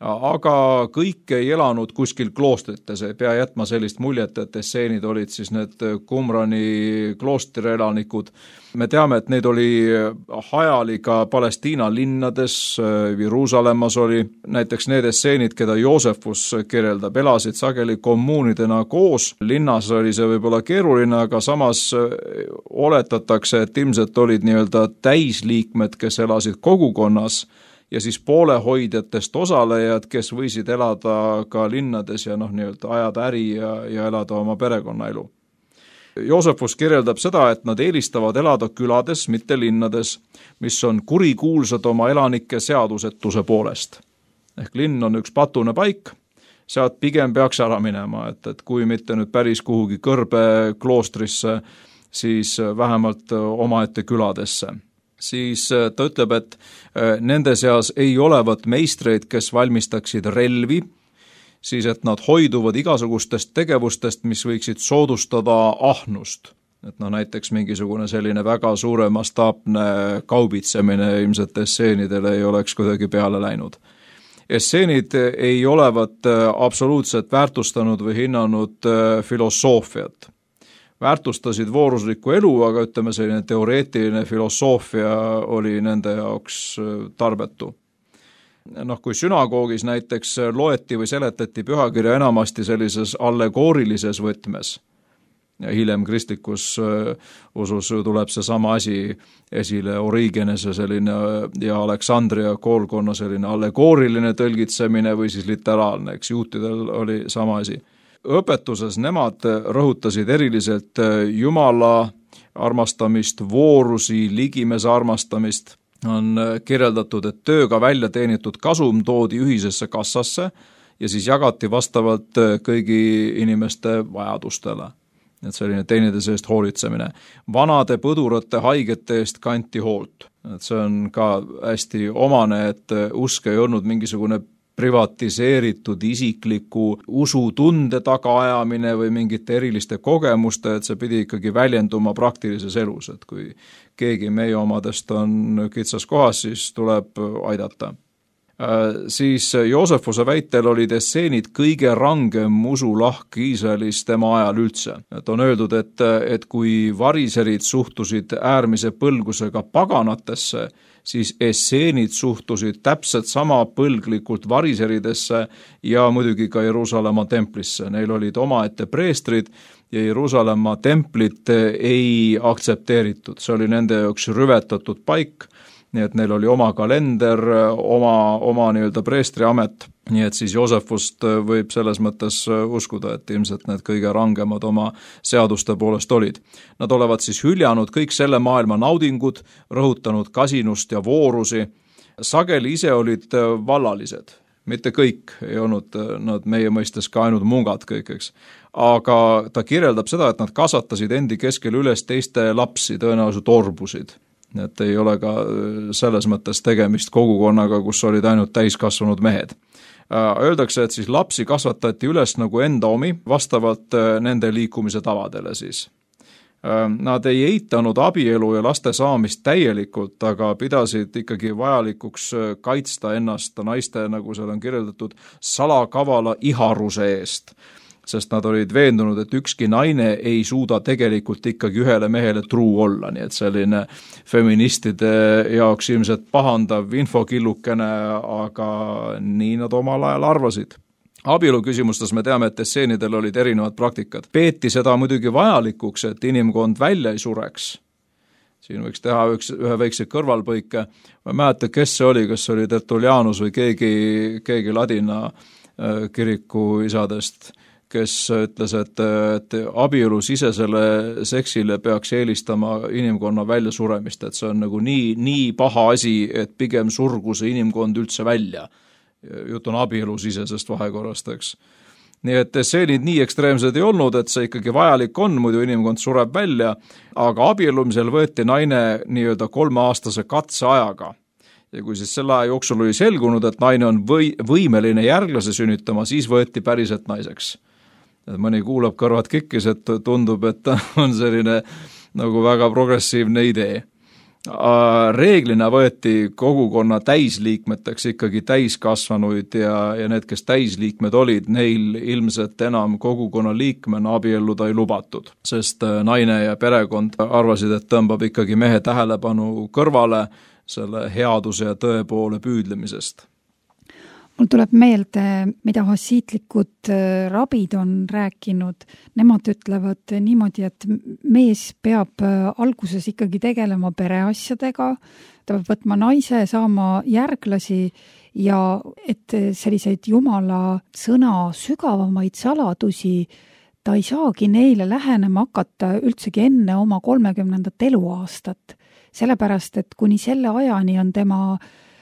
Aga kõik ei elanud kuskil kloostrites, ei pea jätma sellist muljet, et esseenid olid siis need Qumrani kloostri elanikud. Me teame, et neid oli hajali ka Palestiina linnades, Jeruusalemmas oli näiteks need esseenid, keda Joosefus kirjeldab, elasid sageli kommuunidena koos. Linnas oli see võib-olla keeruline, aga samas oletatakse, et ilmselt olid nii-öelda täisliikmed, kes elasid kogukonnas, ja siis poolehoidjatest osalejad, kes võisid elada ka linnades ja nii-öelda ajada äri ja elada oma perekonnaelu. Joosefus kirjeldab seda, et nad eelistavad elada külades, mitte linnades, mis on kurikuulsad oma elanike seadusetuse poolest. Ehk linn on üks patune paik, sealt pigem peaks ära minema, et kui mitte nüüd päris kuhugi kõrbe kloostrisse, siis vähemalt omaette küladesse. Siis ta ütleb, et nende seas ei olevat meistreid, kes valmistaksid relvi, siis et nad hoiduvad igasugustest tegevustest, mis võiksid soodustada ahnust. Et näiteks mingisugune selline väga suure mastaapne kaubitsemine ilmselt esseenidele ei oleks kuidagi peale läinud. Esseenid ei olevat absoluutselt väärtustanud või hinnanud filosoofiat. Väärtustasid vooruslikku elu, aga ütleme selline teoreetiline filosoofia oli nende jaoks tarbetu. Kui sünagoogis näiteks loeti või seletati pühakirja enamasti sellises allegoorilises võtmes, ja hiljem kristlikus usus tuleb see sama asi esile, Origenese selline ja Aleksandria koolkonna selline allegooriline tõlgitsemine või siis literaalne, eks juutidel oli sama asi. Õpetuses nemad rõhutasid eriliselt Jumala armastamist, voorusi, ligimese armastamist. On kirjeldatud, et tööga välja teenitud kasum toodi ühisesse kassasse ja siis jagati vastavalt kõigi inimeste vajadustele. Et selline teineteise eest hoolitsemine. Vanade põdurate haigete eest kanti hoolt. Et see on ka hästi omane, et usk ei olnud mingisugune privatiseeritud isikliku usutunde tagaajamine või mingite eriliste kogemuste, et see pidi ikkagi väljenduma praktilises elus, et kui keegi meie omadest on kitsas kohas, siis tuleb aidata. Siis Joosefuse väitel olid esseenid kõige rangem usulahk Iisraelis tema ajal üldse. Et on öeldud, et kui variserid suhtusid äärmise põlgusega paganatesse, siis esseenid suhtusid täpselt sama põlglikult variseridesse ja muidugi ka Jeruusalemma templisse. Neil olid omaette preestrid ja Jeruusalemma templit ei aktsepteeritud. See oli nende jaoks rüvetatud paik, nii et neil oli oma kalender, oma nii-öelda preestriamet, nii et siis Joosefust võib selles mõttes uskuda, et ilmselt need kõige rangemad oma seaduste poolest olid. Nad olevat siis hüljanud kõik selle maailma naudingud, rõhutanud kasinust ja voorusi. Sageli ise olid vallalised, mitte kõik ei olnud nad meie mõistes ka ainult mungad kõik, eks. Aga ta kirjeldab seda, et nad kasvatasid endi keskel üles teiste lapsi, tõenäoliselt orbusid. Et ei ole ka selles mõttes tegemist kogukonnaga, kus olid ainult täiskasvanud mehed. Öeldakse, et siis lapsi kasvatati üles nagu enda omi, vastavalt nende liikumise tavadele siis. Nad ei eitanud abielu ja laste saamist täielikult, aga pidasid ikkagi vajalikuks kaitsta ennast naiste, nagu seal on kirjeldatud, salakavala iharuse eest, sest nad olid veendunud, et ükski naine ei suuda tegelikult ikkagi ühele mehele truu olla, nii et selline feministide jaoks ilmselt pahandav infokillukene, aga nii nad omal ajal arvasid. Abielu küsimustes me teame, et esseenidel olid erinevad praktikad. Peeti seda muidugi vajalikuks, et inimkond välja ei sureks. Siin võiks teha ühe väikse kõrvalpõike. Ma mäleta, kes see oli, kas oli Tertullianus või keegi ladina kiriku isadest, kes ütles, et abielu sisesele seksile peaks eelistama inimkonna väljasuremist, et see on nagu nii paha asi, et pigem surgu see inimkond üldse välja. Jutt on abielu sisesest vahekorrast, eks. Nii et esseenid nii ekstreemsed ei olnud, et see ikkagi vajalik on, muidu inimkond sureb välja, aga abiellumisel võeti naine nii-öelda 3-aastase katseajaga. Ja kui siis selle aja jooksul oli selgunud, et naine on võimeline järglase sünnitama, siis võeti päriselt naiseks. Mõni kuulab kõrvad kikkis, et tundub, et on selline nagu väga progressiivne idee. Reeglina võeti kogukonna täisliikmeteks ikkagi täiskasvanuid ja need, kes täisliikmed olid, neil ilmselt enam kogukonna liikmena abielluda ei lubatud, sest naine ja perekond arvasid, et tõmbab ikkagi mehe tähelepanu kõrvale selle headuse ja tõe poole püüdlemisest. Mul tuleb meelde, mida hassiitlikud rabid on rääkinud. Nemad ütlevad niimoodi, et mees peab alguses ikkagi tegelema pereasjadega, ta peab võtma naise, saama järglasi ja et selliseid Jumala sõna sügavamaid saladusi ta ei saagi neile lähenema hakata üldsegi enne oma 30. eluaastat. Sellepärast, et kuni selle ajani on tema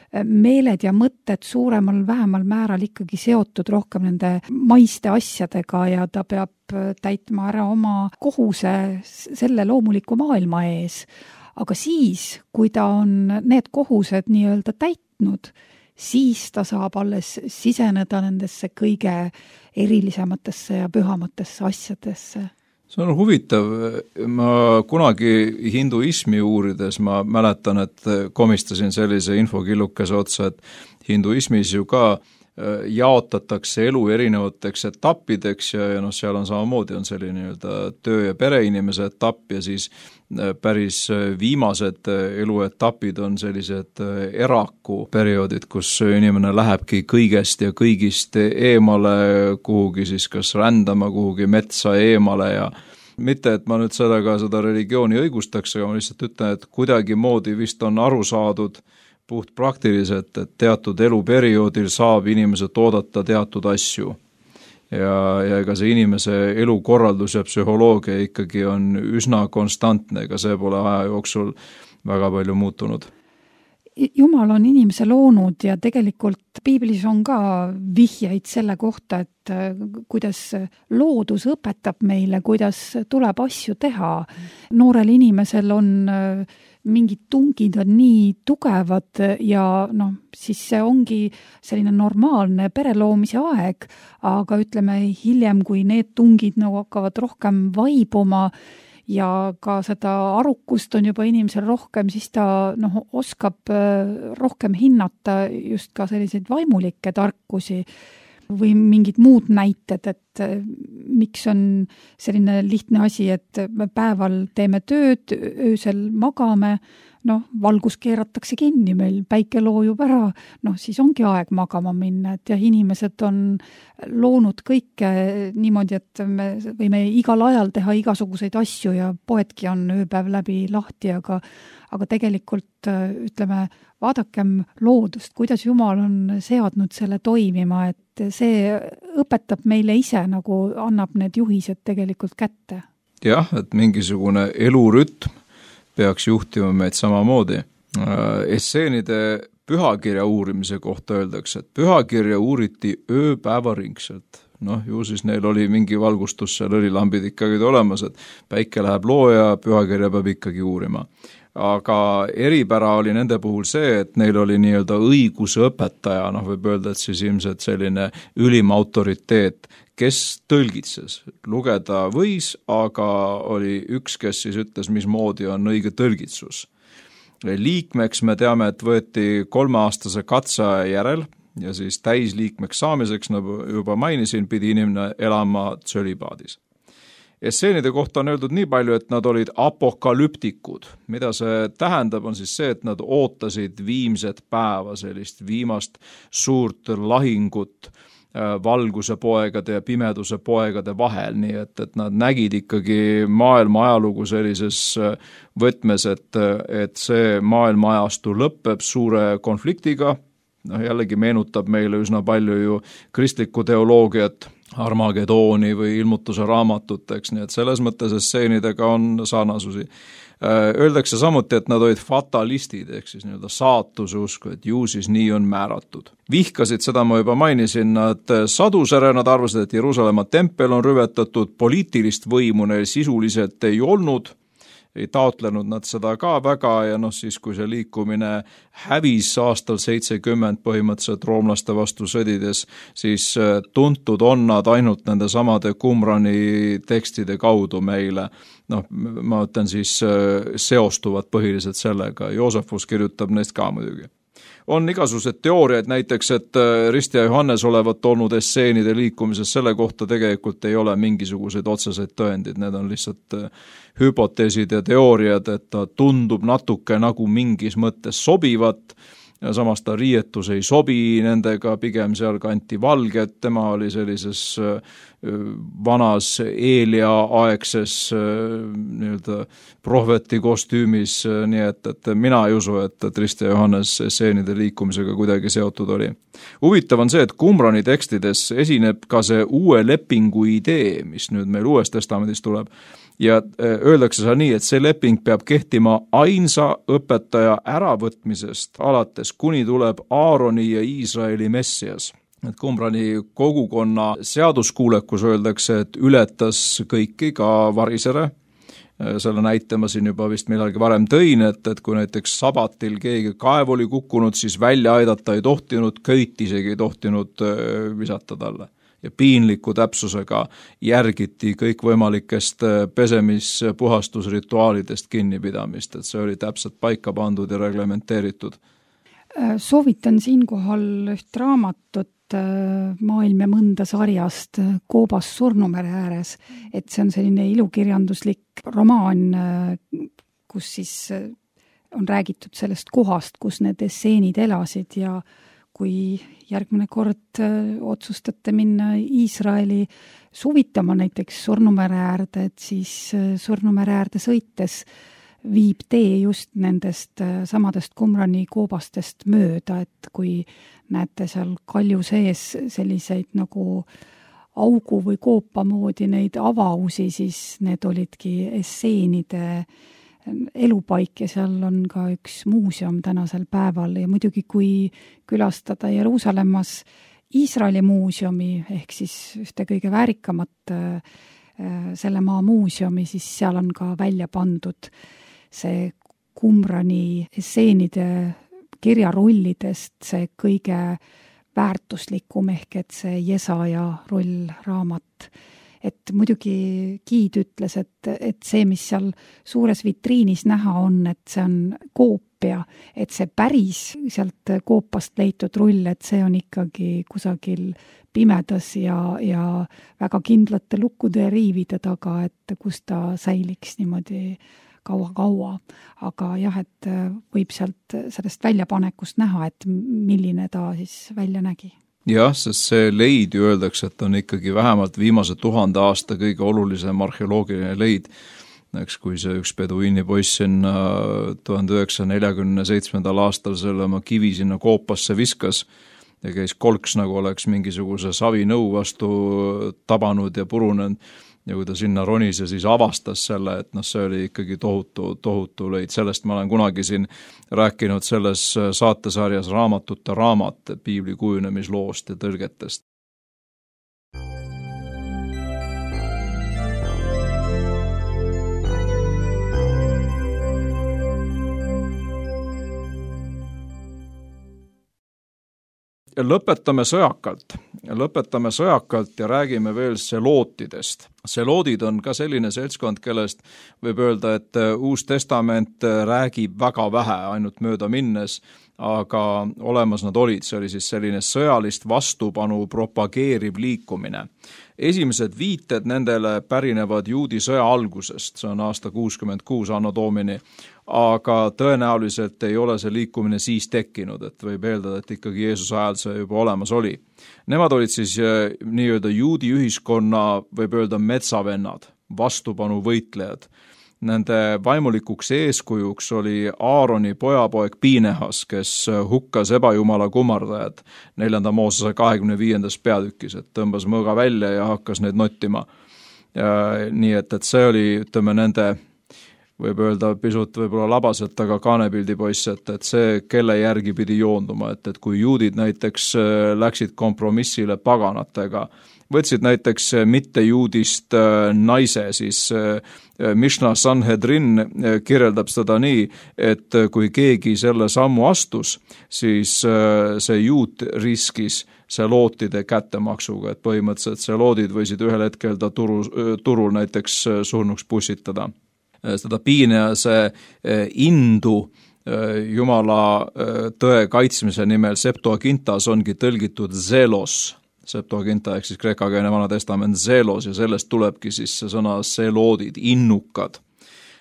meeled ja mõtted suuremal vähemal määral ikkagi seotud rohkem nende maiste asjadega ja ta peab täitma ära oma kohuse selle loomuliku maailma ees. Aga siis, kui ta on need kohused nii-öelda täitnud, siis ta saab alles siseneda nendesse kõige erilisematesse ja pühamatesse asjadesse. See on huvitav. Ma kunagi hinduismi uurides ma mäletan, et komistasin sellise infokillukese otsa, et hinduismis ju ka jaotatakse elu erinevateks etappideks ja seal on samamoodi on selline nii-öelda töö- ja pereinimese etapp ja siis päris viimased eluetapid on sellised eraku perioodid, kus inimene lähebki kõigest ja kõigist eemale kuhugi siis kas rändama kuhugi metsa eemale ja mitte, et ma nüüd seda religiooni õigustaks, aga ma lihtsalt ütlen, et kuidagi moodi vist on aru saadud puht praktiliselt, et teatud eluperioodil saab inimesed oodata teatud asju. Ja ega see inimese elukorraldus ja psühholoogia ikkagi on üsna konstantne, ega see pole aja jooksul väga palju muutunud. Jumal on inimese loonud ja tegelikult piiblis on ka vihjeid selle kohta, et kuidas loodus õpetab meile, kuidas tuleb asju teha. Noorel inimesel on mingid tungid on nii tugevad ja siis see ongi selline normaalne pereloomise aeg, aga ütleme hiljem, kui need tungid hakkavad rohkem vaibuma ja ka seda arukust on juba inimesel rohkem, siis ta oskab rohkem hinnata just ka selliseid vaimulikke tarkusi või mingid muud näited, et miks on selline lihtne asi, et me päeval teeme tööd, öösel magame, valgus keeratakse kinni, meil päike loojub ära, siis ongi aeg magama minna, et inimesed on loonud kõike niimoodi, et me võime igal ajal teha igasuguseid asju ja poedki on ööpäev läbi lahti, aga tegelikult ütleme, vaadakem loodust, kuidas Jumal on seadnud selle toimima, et see õpetab meile ise, nagu annab need juhised tegelikult kätte. Jah, et mingisugune elurütm peaks juhtima meid samamoodi. Esseenide pühakirja uurimise kohta öeldakse, et pühakirja uuriti ööpäevaringselt. Ju siis neil oli mingi valgustus, seal õlilambid ikkagi olemas, et päike läheb looja, pühakirja peab ikkagi uurima. Aga eripära oli nende puhul see, et neil oli nii-öelda õigusõpetaja, võib öelda, et siis ilmselt selline ülim autoriteet, kes tõlgitses. Lugeda võis, aga oli üks, kes siis ütles, mismoodi on õige tõlgitsus. Liikmeks me teame, et võeti 3-aastase katseaja järel ja siis täisliikmeks saamiseks, nagu juba mainisin, pidi inimene elama tsölibaadis. Esseenide kohta on öeldud nii palju, et nad olid apokalüptikud. Mida see tähendab, on siis see, et nad ootasid viimset päeva, sellist viimast suurt lahingut valguse poegade ja pimeduse poegade vahel, nii et nad nägid ikkagi maailma ajalugu sellises võtmes, et see maailma ajastu lõpeb suure konfliktiga. Jällegi meenutab meile üsna palju ju kristlikku teoloogiat, Armagedooni või ilmutuse raamatut, eks, nii et selles mõttes esseenidega on sarnasusi. Öeldakse samuti, et nad olid fatalistid, ehk siis nii-öelda saatuse usku, et ju siis nii on määratud. Vihkasid, seda ma juba mainisin, nad sadusere, nad arvasid, et Jeruusalemma tempel on rüvetatud, poliitilist võimu neil sisuliselt ei olnud, ei taotlenud nad seda ka väga ja siis kui see liikumine hävis aastal 70 põhimõtteliselt roomlaste vastu sõdides, siis tuntud on nad ainult nende samade Qumrani tekstide kaudu meile. Ma ütlen siis seostuvad põhiliselt sellega, Joosefus kirjutab neist ka muidugi. On igasugused teooriaid näiteks, et Rist ja Johannes olevat olnud esseenide liikumises, selle kohta tegelikult ei ole mingisuguseid otseseid tõendid, need on lihtsalt hüpoteesid ja teooriad, et ta tundub natuke nagu mingis mõttes sobivat, ja samas ta riietus ei sobi nendega, pigem seal kanti valget, tema oli sellises vanas Eelia-aegses nii-öelda prohveti kostüümis, nii et mina ei usu, et Rist ja Johannes esseenide liikumisega kuidagi seotud oli. Huvitav on see, et Qumrani tekstides esineb ka see uue lepingu idee, mis nüüd meil Uues Testamendis tuleb, ja öeldakse seal nii, et see leping peab kehtima ainsa õpetaja äravõtmisest alates, kuni tuleb Aaroni ja Iisraeli Messias. Et Qumrani kogukonna seaduskuulekus öeldakse, et ületas kõiki, ka varisere. Selle näite ma siin juba vist millalgi varem tõin, et kui näiteks sabatil keegi kaev oli kukkunud, siis välja aidata ei tohtinud, köit isegi ei tohtinud visata talle. Ja piinliku täpsusega järgiti kõikvõimalikest pesemispuhastusrituaalidest kinnipidamist, et see oli täpselt paika pandud ja reglementeeritud. Soovitan siinkohal üht raamatut Maailm ja mõnda sarjast Koobas Surnumere ääres, et see on selline ilukirjanduslik romaan, kus siis on räägitud sellest kohast, kus need esseenid elasid ja kui järgmine kord otsustate minna Iisraeli suvitama näiteks Surnumere äärde, et siis Surnumere äärde sõites viib tee just nendest samadest Qumrani koobastest mööda, et kui näete seal kalju sees selliseid nagu augu või koopa moodi neid avausi, siis need olidki esseenide elupaik ja seal on ka üks muuseum tänasel päeval ja muidugi kui külastada Jeruusalemmas Iisraeli muuseumi ehk siis ühte kõige väärikamat selle maa muuseumi, siis seal on ka välja pandud see Qumrani esseenide kirjarullidest see kõige väärtuslikum ehk et see Jesaja rullraamat. Et muidugi Giid ütles, et see, mis seal suures vitriinis näha on, et see on koopia, et see päris sealt koopast leitud rull, et see on ikkagi kusagil pimedas ja väga kindlate lukkude ja riivide taga, et kus ta säiliks niimoodi kaua. Aga jah, et võib sellest väljapanekust näha, et milline ta siis välja nägi. Jah, sest see leid ju öeldakse, et on ikkagi vähemalt viimase 1000 aasta kõige olulisem arheoloogiline leid. Eks kui see üks peduiini poiss sinna 1947. aastal selle oma kivi sinna koopasse viskas ja käis kolks, nagu oleks mingisuguse savinõu vastu tabanud ja purunenud. Ja kui ta sinna ronis ja siis avastas selle, et see oli ikkagi tohutu leid. Sellest ma olen kunagi siin rääkinud selles saatesarjas Raamatute raamat piibli kujunemisloost ja tõlgetest. Lõpetame sõjakalt ja räägime veel selootidest. Seloodid on ka selline seltskond, kellest võib öelda, et Uus Testament räägib väga vähe, ainult mööda minnes, aga olemas nad olid. See oli siis selline sõjalist vastupanu propageeriv liikumine. Esimesed viited nendele pärinevad juudi sõja algusest, see on aasta 66 anno domini, aga tõenäoliselt ei ole see liikumine siis tekkinud, et võib eeldada, et ikkagi Jeesuse ajal see juba olemas oli. Nemad olid siis nii-öelda juudi ühiskonna, võib öelda metsavennad, vastupanu võitlejad. Nende vaimulikuks eeskujuks oli Aaroni pojapoeg Piinehas, kes hukkas ebajumala kummardajad 4. Moosese 25. peatükis, et tõmbas mõõga välja ja hakkas neid nottima. Nii et see oli, ütleme, nende võib öelda pisut võib-olla labaselt, aga kaanepildi poiss, et see, kelle järgi pidi joonduma, et kui juudid näiteks läksid kompromissile paganatega, võtsid näiteks mittejuudist naise, siis Mishnah Sanhedrin kirjeldab seda nii, et kui keegi selle sammu astus, siis see juut riskis selootide kättemaksuga, et põhimõtteliselt seloodid võisid ühel hetkel ta turul näiteks surnuks pussitada. Seda Piinehase indu Jumala tõe kaitsmise nimel Septuagintas ongi tõlgitud zelos. Septuaginta ehk siis kreekakeelne Vana Testament zelos ja sellest tulebki siis see sõna seloodid, innukad.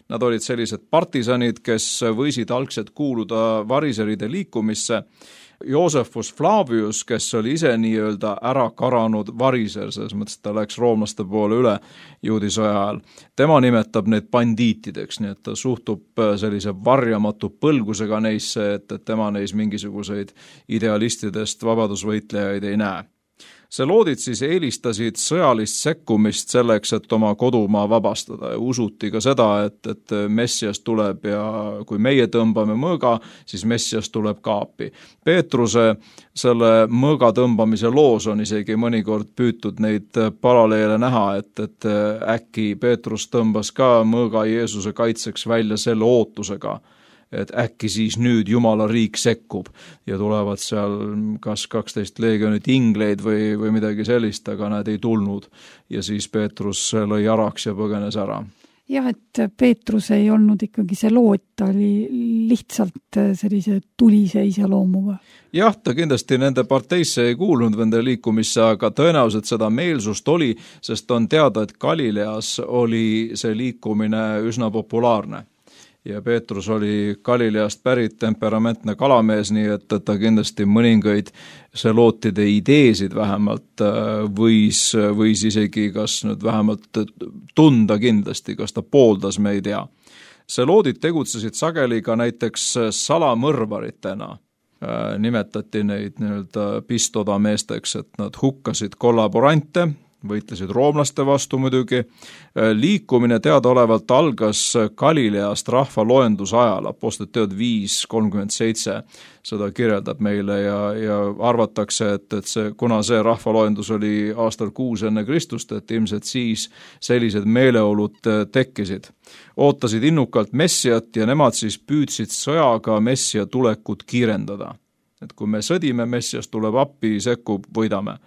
Nad olid sellised partisanid, kes võisid algselt kuuluda variseride liikumisse. Joosefus Flavius, kes oli ise nii-öelda ära karanud variser, selles mõttes, et ta läks roomlaste poole üle juudi sõja ajal. Tema nimetab neid bandiitideks, nii et ta suhtub sellise varjamatu põlgusega neisse, et tema neis mingisuguseid idealistidest vabadusvõitlejaid ei näe. Seloodid siis eelistasid sõjalist sekkumist selleks, et oma kodumaa vabastada ja usuti ka seda, et Messias tuleb ja kui meie tõmbame mõõga, siis Messias tuleb ka appi. Peetruse selle mõõga tõmbamise loos on isegi mõnikord püütud neid paralleele näha, et äkki Peetrus tõmbas ka mõõga Jeesuse kaitseks välja selle ootusega, et äkki siis nüüd Jumala riik sekkub ja tulevad seal kas 12 leegionit ingleid või midagi sellist, aga nad ei tulnud ja siis Peetrus lõi araks ja põgenes ära. Jah, et Peetrus ei olnud ikkagi see loot, ta oli lihtsalt sellise tulise iseloomuga. Jah, ta kindlasti nende parteisse ei kuulunud nende liikumisse, aga tõenäoliselt seda meelsust oli, sest on teada, et Galileas oli see liikumine üsna populaarne. Ja Peetrus oli Galileast pärit temperamentne kalamees, nii et ta kindlasti mõningaid selootide ideesid vähemalt võis isegi kas nüüd vähemalt tunda kindlasti, kas ta pooldas, me ei tea. Seloodid tegutsesid sageli ka näiteks salamõrvaritena. Nimetati neid nii-öelda pistoda meesteks, et nad hukkasid kollaborante, võitlesid roomlaste vastu muidugi. Liikumine teadaolevalt algas Galileast rahvaloenduse ajal, Apostlite teod 5:37 seda kirjeldab meile ja arvatakse, et kuna see rahvaloendus oli aastal 6 enne Kristust, et ilmselt siis sellised meeleolud tekkisid. Ootasid innukalt Messiat ja nemad siis püüdsid sõjaga Messia tulekut kiirendada. Et kui me sõdime, Messias tuleb appi, sekkub, võidame.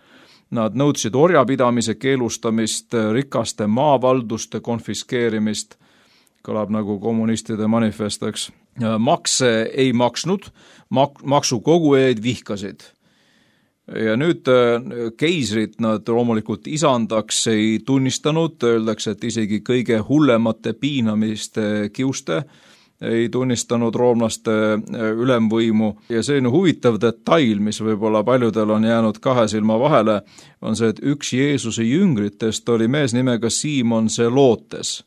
Nad nõudsid orjapidamise keelustamist, rikaste maavalduste konfiskeerimist, kõlab nagu kommunistide manifest, eks. Makse ei maksnud, maksukogujaid vihkasid. Ja nüüd keisrit nad loomulikult isandaks ei tunnistanud, öeldakse, et isegi kõige hullemate piinamiste kiuste ei tunnistanud roomlaste ülemvõimu ja selline huvitav detail, mis võib-olla paljudel on jäänud kahe silma vahele, on see, et üks Jeesuse jüngritest oli mees nimega Simon Zelotes.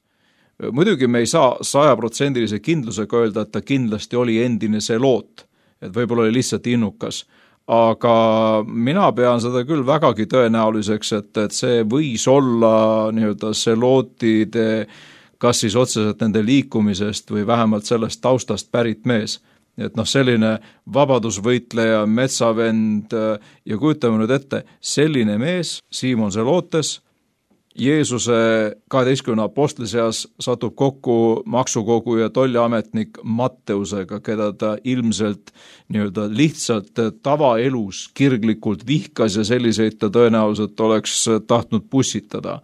Muidugi me ei saa 100% kindlusega öelda, et ta kindlasti oli endine Zelot, et võib-olla oli lihtsalt innukas, aga mina pean seda küll vägagi tõenäoliseks, et see võis olla nii-öelda Zelotide kas siis otseselt nende liikumisest või vähemalt sellest taustast pärit mees. Et selline vabadusvõitleja, metsavend ja kujutame nüüd ette, selline mees, Simon Zelotes, Jeesuse 12 apostli seas satub kokku maksukogu ja tolliametnik Matteusega, keda ta ilmselt nii-öelda lihtsalt tavaelus kirglikult vihkas ja selliseid ta tõenäoliselt oleks tahtnud pussitada.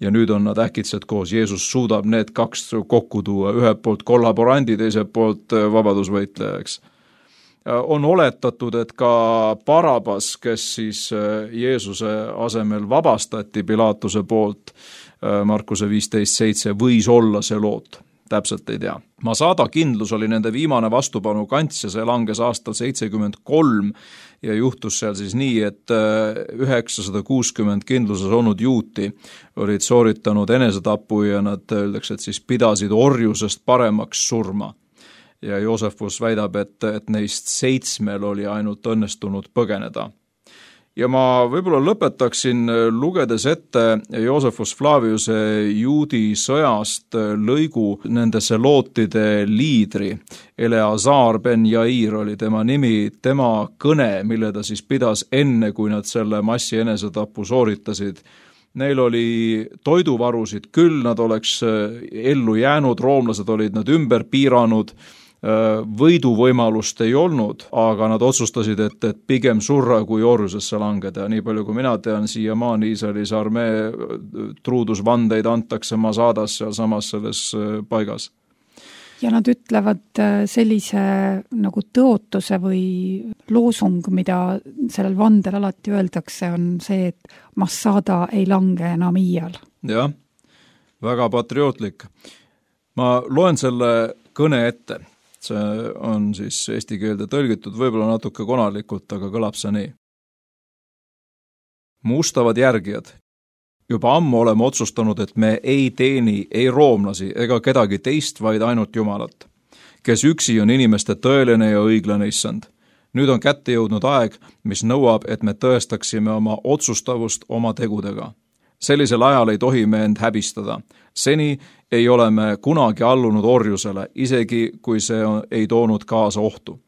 Ja nüüd on nad äkitselt koos. Jeesus suudab need kaks kokku tuua, ühelt poolt kollaborandi, teiselt poolt vabadusvõitlejaks. On oletatud, et ka Barabas, kes siis Jeesuse asemel vabastati Pilaatuse poolt, Markuse 15:7, võis olla Zelot. Täpselt ei tea. Masada kindlus oli nende viimane vastupanu kants ja see langes aastal 73 ja juhtus seal siis nii, et 960 kindluses olnud juuti olid sooritanud enesetapu ja nad öeldakse, et siis pidasid orjusest paremaks surma. Ja Joosefus väidab, et neist 7 oli ainult õnnestunud põgeneda. Ja ma võib-olla lõpetaksin lugedes ette Joosefus Flaviuse juudi sõjast lõigu nende Zelotide liidri. Eleazar ben Jair oli tema nimi, tema kõne, mille ta siis pidas enne, kui nad selle massi enesetapu sooritasid. Neil oli toiduvarusid küll, nad oleks ellu jäänud, roomlased olid nad ümber piiranud, võiduvõimalust ei olnud, aga nad otsustasid, et pigem surra kui orjusesse langeda. Nii palju kui mina tean, siiamaani Iisraelis armee truudusvandeid antakse Masadas seal samas selles paigas. Ja nad ütlevad sellise nagu tõotuse või loosung, mida sellel vandel alati öeldakse, on see, et Masada ei lange enam iial. Jah, väga patriootlik. Ma loen selle kõne ette. See on siis eesti keelde tõlgitud, võib-olla natuke konalikult, aga kõlab see nii. Mu ustavad järgijad, juba ammu oleme otsustanud, et me ei teeni ei roomlasi ega kedagi teist, vaid ainult Jumalat, kes üksi on inimeste tõeline ja õiglane issand. Nüüd on kätte jõudnud aeg, mis nõuab, et me tõestaksime oma otsustavust oma tegudega. Sellisel ajal ei tohi me end häbistada. Seni ei ole me kunagi allunud orjusele, isegi kui see ei toonud kaasa ohtu.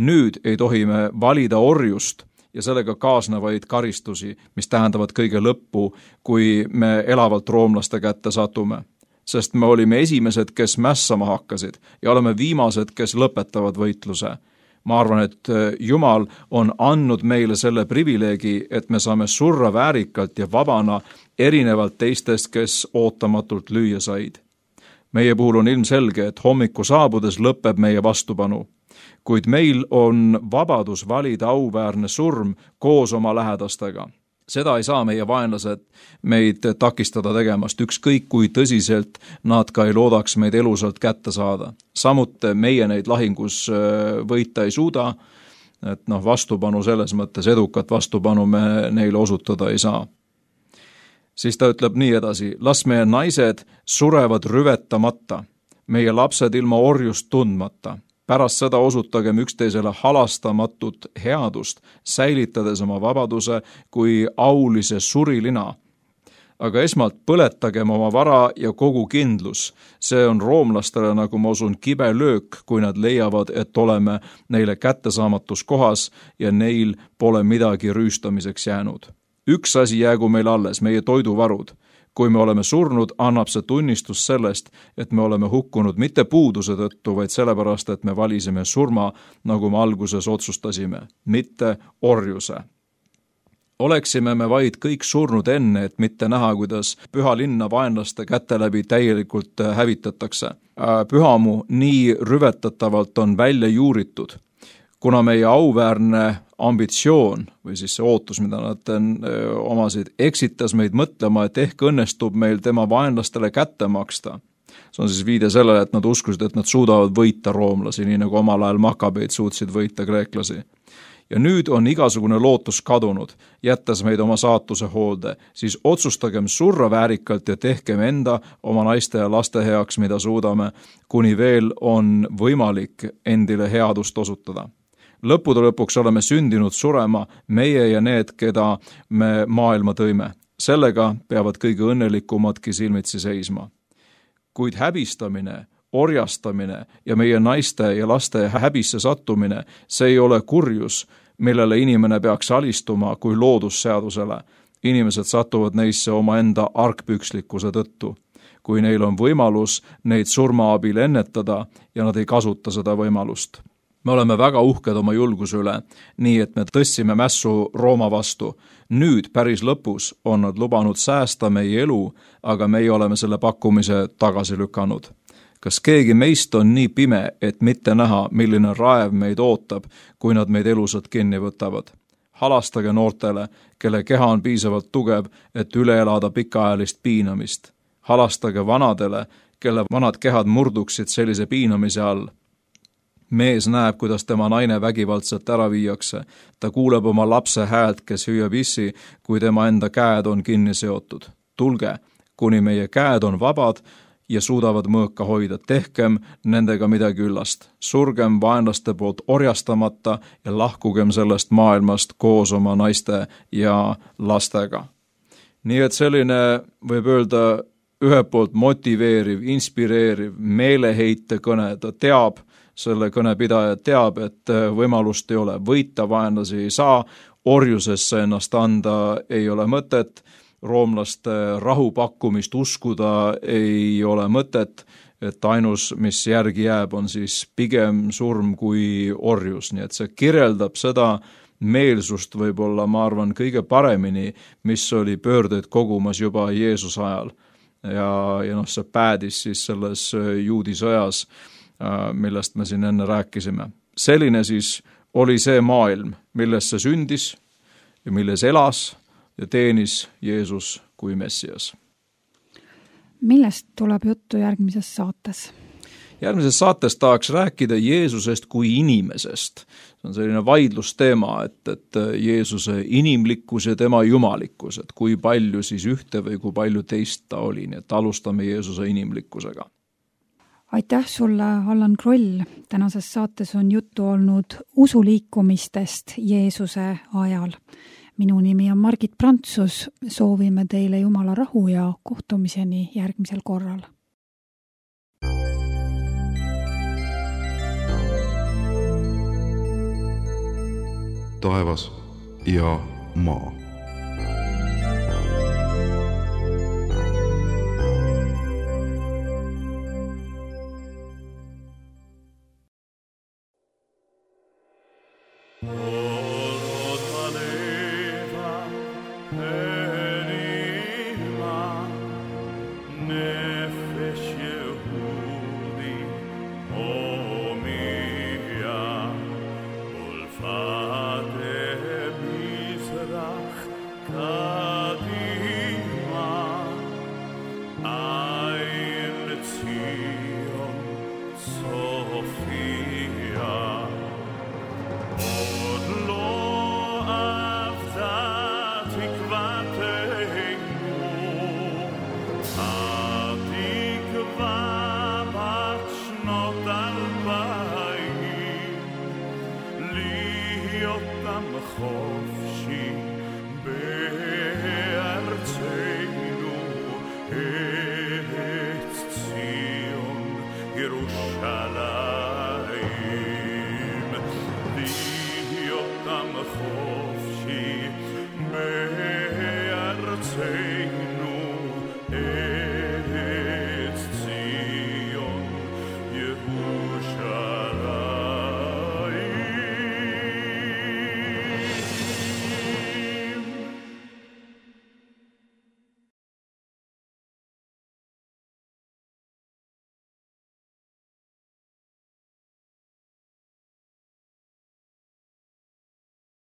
Nüüd ei tohi me valida orjust ja sellega kaasnevaid karistusi, mis tähendavad kõige lõppu, kui me elavalt roomlaste kätte satume. Sest me olime esimesed, kes mässama hakkasid ja oleme viimased, kes lõpetavad võitluse. Ma arvan, et Jumal on andnud meile selle privileegi, et me saame surra väärikalt ja vabana erinevalt teistest, kes ootamatult lüüa said. Meie puhul on ilmselge, et hommiku saabudes lõpeb meie vastupanu, kuid meil on vabadus valida auväärne surm koos oma lähedastega. Seda ei saa meie vaenlased meid takistada tegemast, ükskõik kui tõsiselt nad ka ei loodaks meid elusalt kätte saada. Samuti meie neid lahingus võita ei suuda, et vastupanu selles mõttes, edukat vastupanu me neile osutada ei saa. Siis ta ütleb nii edasi, las meie naised surevad rüvetamata, meie lapsed ilma orjust tundmata. Pärast seda osutagem üksteisele halastamatut headust, säilitades oma vabaduse kui aulise surilina, aga esmalt põletagem oma vara ja kogu kindlus. See on roomlastele, nagu ma usun, kibe löök, kui nad leiavad, et oleme neile kättesaamatus kohas ja neil pole midagi rüüstamiseks jäänud. Üks asi jäägu meil alles, meie toiduvarud. Kui me oleme surnud, annab see tunnistus sellest, et me oleme hukkunud mitte puuduse tõttu, vaid sellepärast, et me valisime surma, nagu me alguses otsustasime, mitte orjuse. Oleksime me vaid kõik surnud enne, et mitte näha, kuidas püha linna vaenlaste käte läbi täielikult hävitatakse. Pühamu nii rüvetatavalt on välja juuritud, kuna meie auväärne ambitsioon või siis see ootus, mida nad omasid, eksitas meid mõtlema, et ehk õnnestub meil tema vaenlastele kätte maksta. See on siis viide sellele, et nad uskusid, et nad suudavad võita roomlasi, nii nagu omal ajal makabeid suutsid võita kreeklasi. Ja nüüd on igasugune lootus kadunud, jättes meid oma saatuse hoolde, siis otsustagem surra väärikalt ja tehkem enda oma naiste ja laste heaks, mida suudame, kuni veel on võimalik endile headust osutada. Lõppude lõpuks oleme sündinud surema meie ja need, keda me maailma tõime. Sellega peavad kõige õnnelikumadki silmitsi seisma. Kuid häbistamine, orjastamine ja meie naiste ja laste häbisse sattumine, see ei ole kurjus, millele inimene peaks alistuma kui loodusseadusele. Inimesed satuvad neisse oma enda argpükslikkuse tõttu. Kui neil on võimalus neid surma abil ennetada ja nad ei kasuta seda võimalust. Me oleme väga uhked oma julguse üle, nii et me tõstsime mässu Rooma vastu. Nüüd päris lõpus on nad lubanud säästa meie elu, aga meie oleme selle pakkumise tagasi lükanud. Kas keegi meist on nii pime, et mitte näha, milline raev meid ootab, kui nad meid elusad kinni võtavad? Halastage noortele, kelle keha on piisavalt tugev, et üle elada pikaajalist piinamist. Halastage vanadele, kelle vanad kehad murduksid sellise piinamise all. Mees näeb, kuidas tema naine vägivaldselt ära viiakse. Ta kuuleb oma lapse häält, kes hüüab issi, kui tema enda käed on kinni seotud. Tulge, kuni meie käed on vabad ja suudavad mõõka hoida. Tehkem nendega midagi üllast. Surgem vaenlaste poolt orjastamata ja lahkugem sellest maailmast koos oma naiste ja lastega. Nii et selline, võib öelda, ühe poolt motiveeriv, inspireeriv, meeleheite kõne. Ta teab, selle kõnepidaja teab, et võimalust ei ole, võita vaenlasi ei saa, orjusesse ennast anda ei ole mõtet, roomlaste rahupakkumist uskuda ei ole mõtet, et ainus, mis järgi jääb, on siis pigem surm kui orjus, nii et see kirjeldab seda meelsust võib-olla, ma arvan, kõige paremini, mis oli pöördeid kogumas juba Jeesuse ajal. Ja see päädis siis selles juudi sõjas, millest me siin enne rääkisime. Selline siis oli see maailm, milles see sündis ja milles elas ja teenis Jeesus kui Messias. Millest tuleb juttu järgmises saates? Järgmises saates tahaks rääkida Jeesusest kui inimesest. See on selline vaidlusteema, et Jeesuse inimlikkus ja tema jumalikkus, et kui palju siis ühte või kui palju teist ta oli, nii et alustame Jeesuse inimlikkusega. Aitäh sulle, Allan Kroll. Tänases saates on juttu olnud usuliikumistest Jeesuse ajal. Minu nimi on Margit Prantsus. Soovime teile Jumala rahu ja kohtumiseni järgmisel korral. Taevas ja maa. להיות המחור